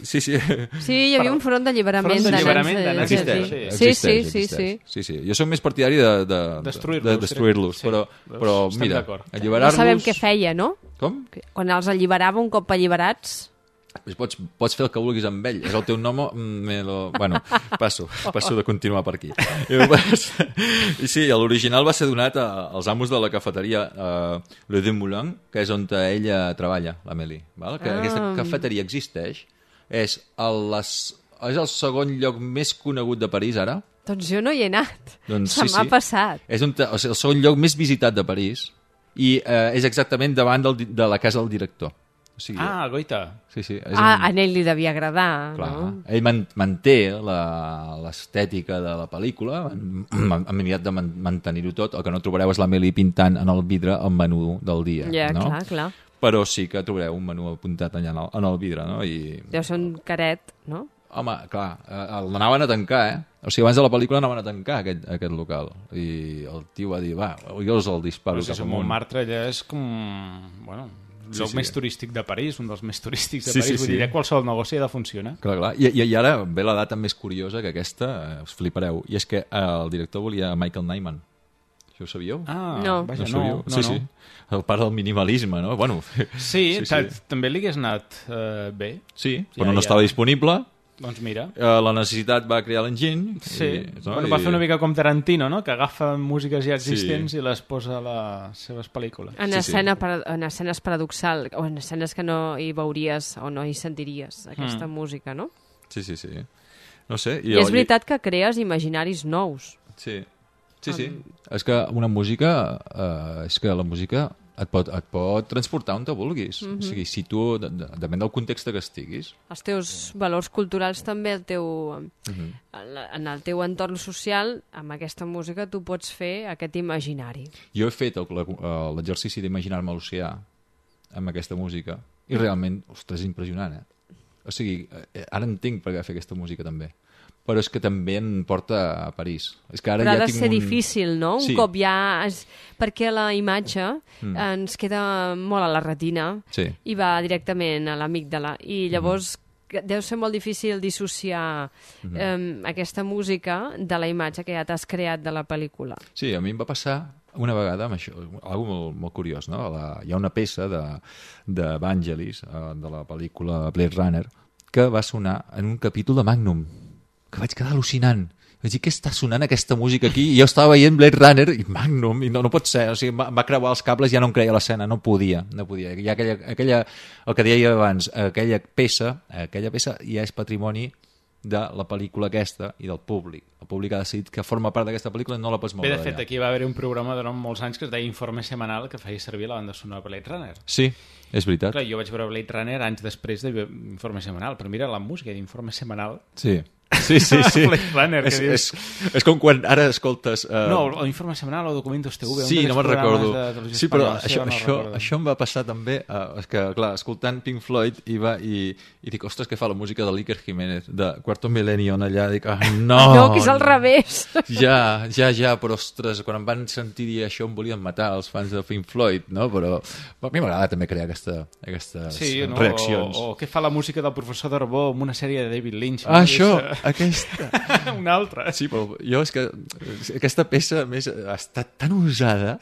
Sí. Sí, hi havia un front d'alliberament de nans de jardí. Sí. Jo soc més partidari de destruir-los, però mira, alliberar-los... No sabem què feia, no? Com? Quan els alliberava un cop alliberats... Pots fer el que vulguis amb ell. És el teu nom... Bueno, passo de continuar per aquí. I sí, l'original va ser donat als amos de la cafeteria Le Demoulin, que és on ella treballa, l'Amélie. Aquesta cafeteria existeix. És el segon lloc més conegut de París, ara. Doncs jo no hi he anat. Se m'ha passat. És el segon lloc més visitat de París i és exactament davant de la casa del director. Goita. Sí. A ell li devia agradar, clar, no? Ell manté l'estètica de la pel·lícula, han mirat de mantenir-ho tot. El que no trobareu és l'Amélie pintant en el vidre el menú del dia. Ja, no? clar. Però sí que trobareu un menú apuntat allà en el vidre, no? Deu ser un caret, no? Home, clar, l'anaven a tancar, O sigui, abans de la pel·lícula anaven a tancar aquest local. I el tio va dir, jo els el disparo cap amunt. Montmartre allà és com... Bueno... el lloc més turístic de París, un dels més turístics de París, vull dir, qualsevol negoci ha de funcionar. Clar. I ara ve la data més curiosa que aquesta, us flipareu, i és que el director volia Michael Nyman. Això ho sabíeu? No. Vaja, no. Sí. El pare del minimalisme, no? Bueno, sí. També li hagués anat bé. Sí, però no estava disponible. Doncs mira. La necessitat va crear l'enginy. Sí, va fer una mica com Tarantino, no? Que agafa músiques ja existents i les posa a les seves pel·lícules. En escenes paradoxals, o en escenes que no hi veuries o no hi sentiries aquesta música, no? Sí. No sé. I és veritat que crees imaginaris nous. Sí. És que una música... és que la música et pot transportar on te vulguis. O sigui, si tu, depèn del context que estiguis. Els teus valors culturals també, en el teu entorn social, amb aquesta música tu pots fer aquest imaginari. Jo he fet l'exercici d'imaginar-me l'oceà amb aquesta música i realment, ostres, és impressionant, O sigui, ara entenc per què fer aquesta música també. Però és que també em porta a París. És que ara però ja ha de ser difícil, no? Un cop ja... Perquè la imatge ens queda molt a la retina i va directament a l'amígdala. I llavors deu ser molt difícil dissociar aquesta música de la imatge que ja t'has creat de la pel·lícula. Sí, a mi em va passar una vegada amb això, algo molt curiós, no? Hi ha una peça de Vangelis, de la pel·lícula Blade Runner, que va sonar en un capítol de Magnum, que vaig quedar al·lucinant. Vaig dir, què està sonant aquesta música aquí? I jo estava veient Blade Runner i Magnum, i no pot ser. O sigui, va creuar els cables i ja no em creia l'escena, no podia. Ja el que deia abans, aquella peça ja és patrimoni de la pel·lícula aquesta i del públic. El públic ha decidit que forma part d'aquesta pel·lícula i no la pots moure d'allà. Bé, de fet, aquí va haver un programa durant molts anys que es deia Informe Semanal, que feia servir la banda sonora de Blade Runner. Sí, és veritat. Clar, jo vaig veure Blade Runner anys després d'Informe Semanal, però mira, la música d'Informe Semanal... Sí. Blade Runner, és com quan ara escoltes... No, l'Informe Semanal o Documentos TV. Sí, no me'n recordo. Sí, però això em va passar també, és que, clar, escoltant Pink Floyd i dic, ostres, què fa la música de l'Iker Jiménez, de Quarto Milenio allà, dic, no! No, que és al revés! Ja, però ostres, quan em van sentir dir això em volien matar els fans de Pink Floyd, no? Però a mi m'agrada també crear aquestes reaccions. O què fa la música del professor Darbó amb una sèrie de David Lynch? Això! Aquesta... Una altra. Sí, però jo és que aquesta peça, a més, ha estat tan usada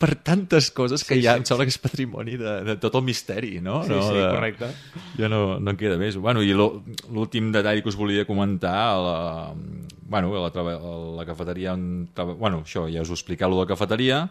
per tantes coses que ja em sembla que és patrimoni de tot el misteri, no? Sí, correcte. Ja no en queda més. Bueno, i l'últim detall que us volia comentar, a la cafeteria on... Bueno, això, ja us ho expliqueu, lo de la cafeteria,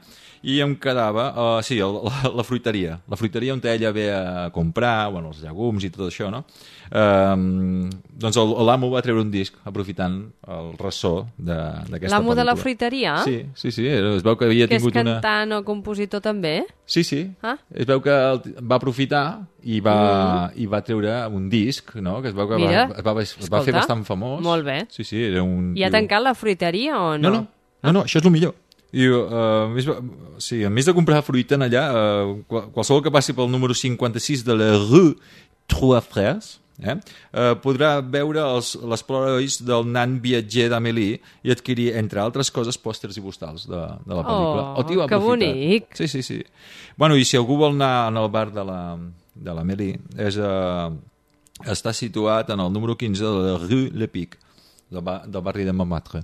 i em quedava, la fruiteria. La fruiteria on ella ve a comprar, bueno, els llegums i tot això, no? Doncs l'amo va treure un disc aprofitant el ressò d'aquesta pel·lícula. L'amo de la fruiteria? Sí, es veu que havia tingut una... Que és cantant o compositor també? Sí. Es veu que va aprofitar i va treure un disc, no? Que es veu que es va fer bastant famós. Molt bé. Sí, era un... I ha tancat la fruiteria o no? No, això és el millor. I, a més de comprar fruita allà, qualsevol que passi pel número 56 de la rue Trois Frères podrà veure les plorois del nan viatger d'Amélie i adquirir, entre altres coses, pòsters i postals de la pel·lícula. Que bonic! Sí. Bueno, i si algú vol anar al bar de de l'Amélie, està situat en el número 15 de la Rue Le Pic, del barri de Montmartre.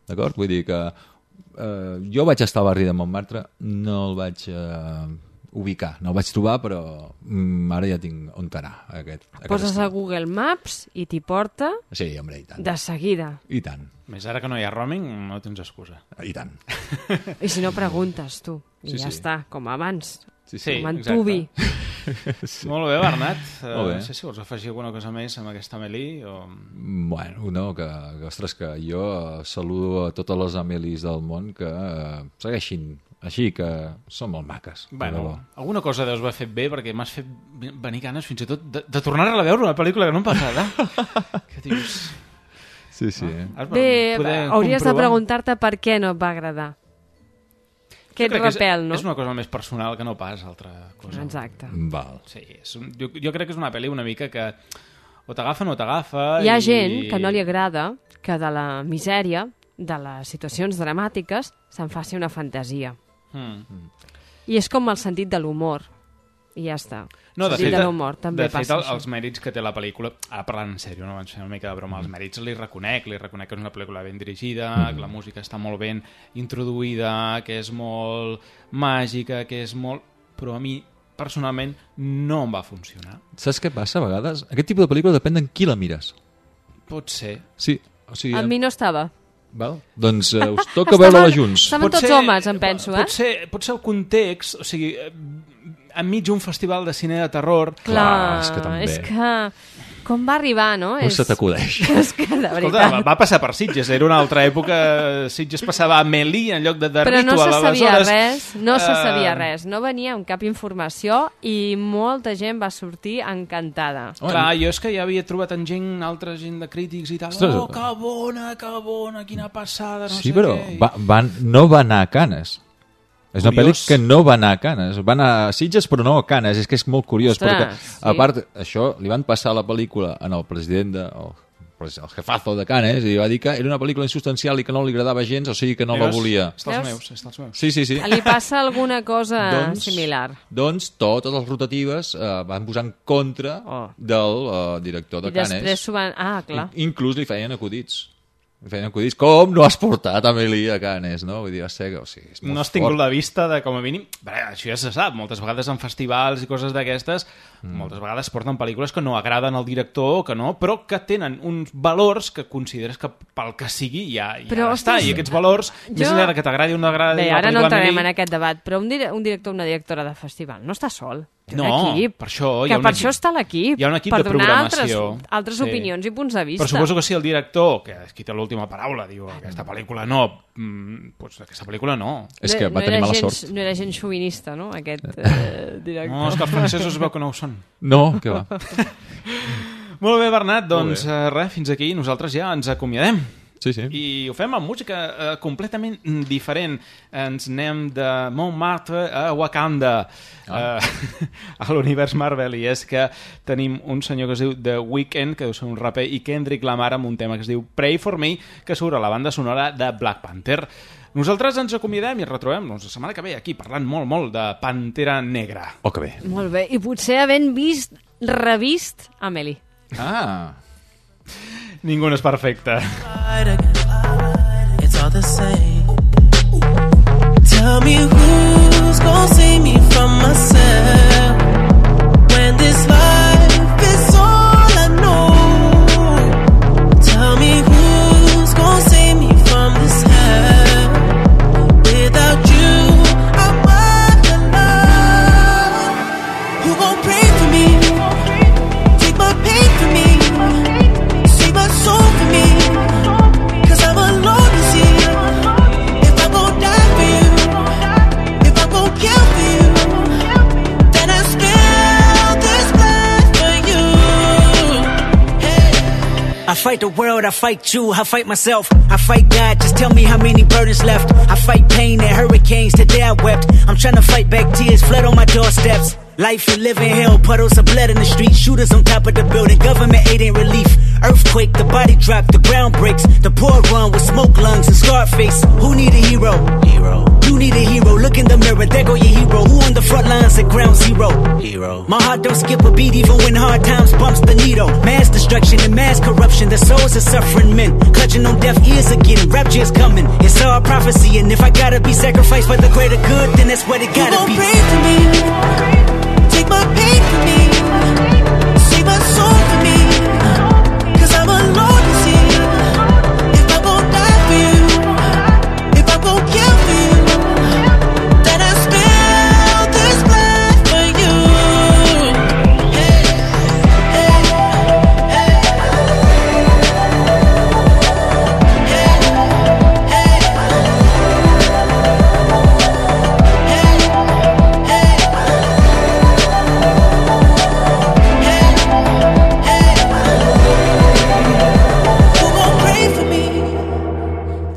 D'acord? Vull dir que jo vaig estar al barri de Montmartre, no el vaig ubicar, no el vaig trobar, però ara ja tinc on anar. Poses a Google Maps i t'hi porta sí, hombre, i tant. De seguida. I tant. Més ara que no hi ha roaming, no tens excusa. I tant. I si no preguntes tu, i sí, ja està, com abans. Sí, com en Tubi. Sí. Molt bé, Bernat. Molt bé. No sé si vols afegir alguna cosa més amb aquesta Amélie o... Bueno, no, ostres, que jo saludo a totes les Amélies del món que segueixin així, que són molt maques. Bueno, alguna cosa deus haver fet bé, perquè m'has fet venir ganes fins i tot de tornar-la a veure, una pel·lícula que no em passava. Que dius... Sí, sí. Bé, hauries de preguntar-te per què no et va agradar. Aquest repel, no? És una cosa més personal que no pas altra cosa. Exacte. Val. Sí, jo crec que és una pel·li una mica que o t'agafa o no t'agafa. Hi ha gent que no li agrada que de la misèria, de les situacions dramàtiques, se'n faci una fantasia. I és com el sentit de l'humor. I ja està. No, de sentit fet, de l'humor també passa això. Els mèrits que té la pel·lícula, parlant en sèrio, no abans fer una mica de broma, els mèrits li reconec que és una pel·lícula ben dirigida, que la música està molt ben introduïda, que és molt màgica, que és molt... Però a mi, personalment, no em va funcionar. Saps què passa a vegades? Aquest tipus de pel·lícula depèn d'en qui la mires. Pot ser. Sí, o sigui... A mi no estava. Val? Doncs us toca veure-la junts. Estaven tots homes, em penso, Pot ser el context, o sigui... enmig d'un festival de cine de terror. Clar, és que també... És que... Com va arribar, no? No se t'acudeix. És que, de veritat... Escolta, va passar per Sitges, era una altra època, Sitges passava a Amélie en lloc de Ritual. Però no se sabia res, no se sabia res, no venia amb cap informació i molta gent va sortir encantada. Clar, jo és que ja havia trobat en gent, altra gent de crítics i tal, oh, que bona, quina passada, no sé què. Sí, però no va anar a Canes. És una pel·li que no va anar a Canes. Va anar a Sitges, però no a Canes. És que és molt curiós, perquè, a part, això, li van passar la pel·lícula al president, el jefazo de Canes, i va dir que era una pel·lícula insubstancial i que no li agradava gens, o sigui que no la volia. Està als meus. Sí. Li passa alguna cosa similar. Doncs totes les rotatives van posar en contra del director de Canes. I després s'ho van... Ah, clar. Inclús li feien acudits. Com no has portat Amélie a Canes, no? Vull dir, és molt no has tingut la vista de, com a mínim... Això ja se sap, moltes vegades en festivals i coses d'aquestes, moltes vegades porten pel·lícules que no agraden al director, que no, però que tenen uns valors que consideres que pel que sigui ja està. I aquests valors, més enllà que t'agradi o no agradi... Bé, ara no entrarem en aquest debat, però un director o una directora de festival no està sol. No, per això... Per això està l'equip. Hi ha un equip de programació. Per donar altres opinions i punts de vista. Però suposo que si el director, que és qui té l'última paraula, diu aquesta pel·lícula no, doncs aquesta pel·lícula no. És que va tenir mala sort. No era gens xovinista, no?, aquest director. No, és que els francesos es veu que no ho són. No, què va. Molt bé, Bernat, doncs res, fins aquí nosaltres ja ens acomiadem. Sí. I ho fem amb música completament diferent. Ens anem de Montmartre a Wakanda, a l'univers Marvel, i és que tenim un senyor que es diu The Weeknd, que deu ser un raper, i Kendrick Lamar amb un tema que es diu Pray For Me, que surt a la banda sonora de Black Panther. Nosaltres ens acomiadem i retrobem la setmana que ve aquí, parlant molt de Pantera Negra. Oh, que bé. Molt bé, i potser havent revist Amélie. Ningú no és perfecte. It's all the same. Tell me who's gonna save me from myself when this life is all I know. Tell me who's gonna save me from this hell. Without you, I'm not alone. Who gon' pray for me? Take my pain for me. My soul for me, 'cause I'm alone to see if I'm gonna die for you, if I'm gonna kill for you, then I spill this blood for you. Hey. I fight the world, I fight you, I fight myself, I fight God, just tell me how many burdens left. I fight pain and hurricanes, today I wept. I'm trying to fight back tears, flood on my doorsteps. Life you live in hell, puddles of blood in the street, shooters on top of the building, government aid ain't relief. Earthquake, the body drop, the ground breaks, the poor run with smoke lungs and scarred face. Who need a hero? You need a hero, look in the mirror, there go your hero. Who on the front lines at ground zero? bro. My heart don't skip a beat even when hard times bumps the needle. Mass destruction and mass corruption, the souls of suffering men clutching on deaf ears again. Rapture is coming, it's all prophecy, and if I gotta be sacrificed for the greater good, then that's what it gotta be. You gon' pray for me, take my pain for me, save my soul for me, 'cause I'm alone to see. If I won't die for you, if I won't kill for you, then I spill this blood for you.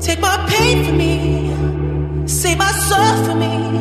Take my pain for me, save my soul for me.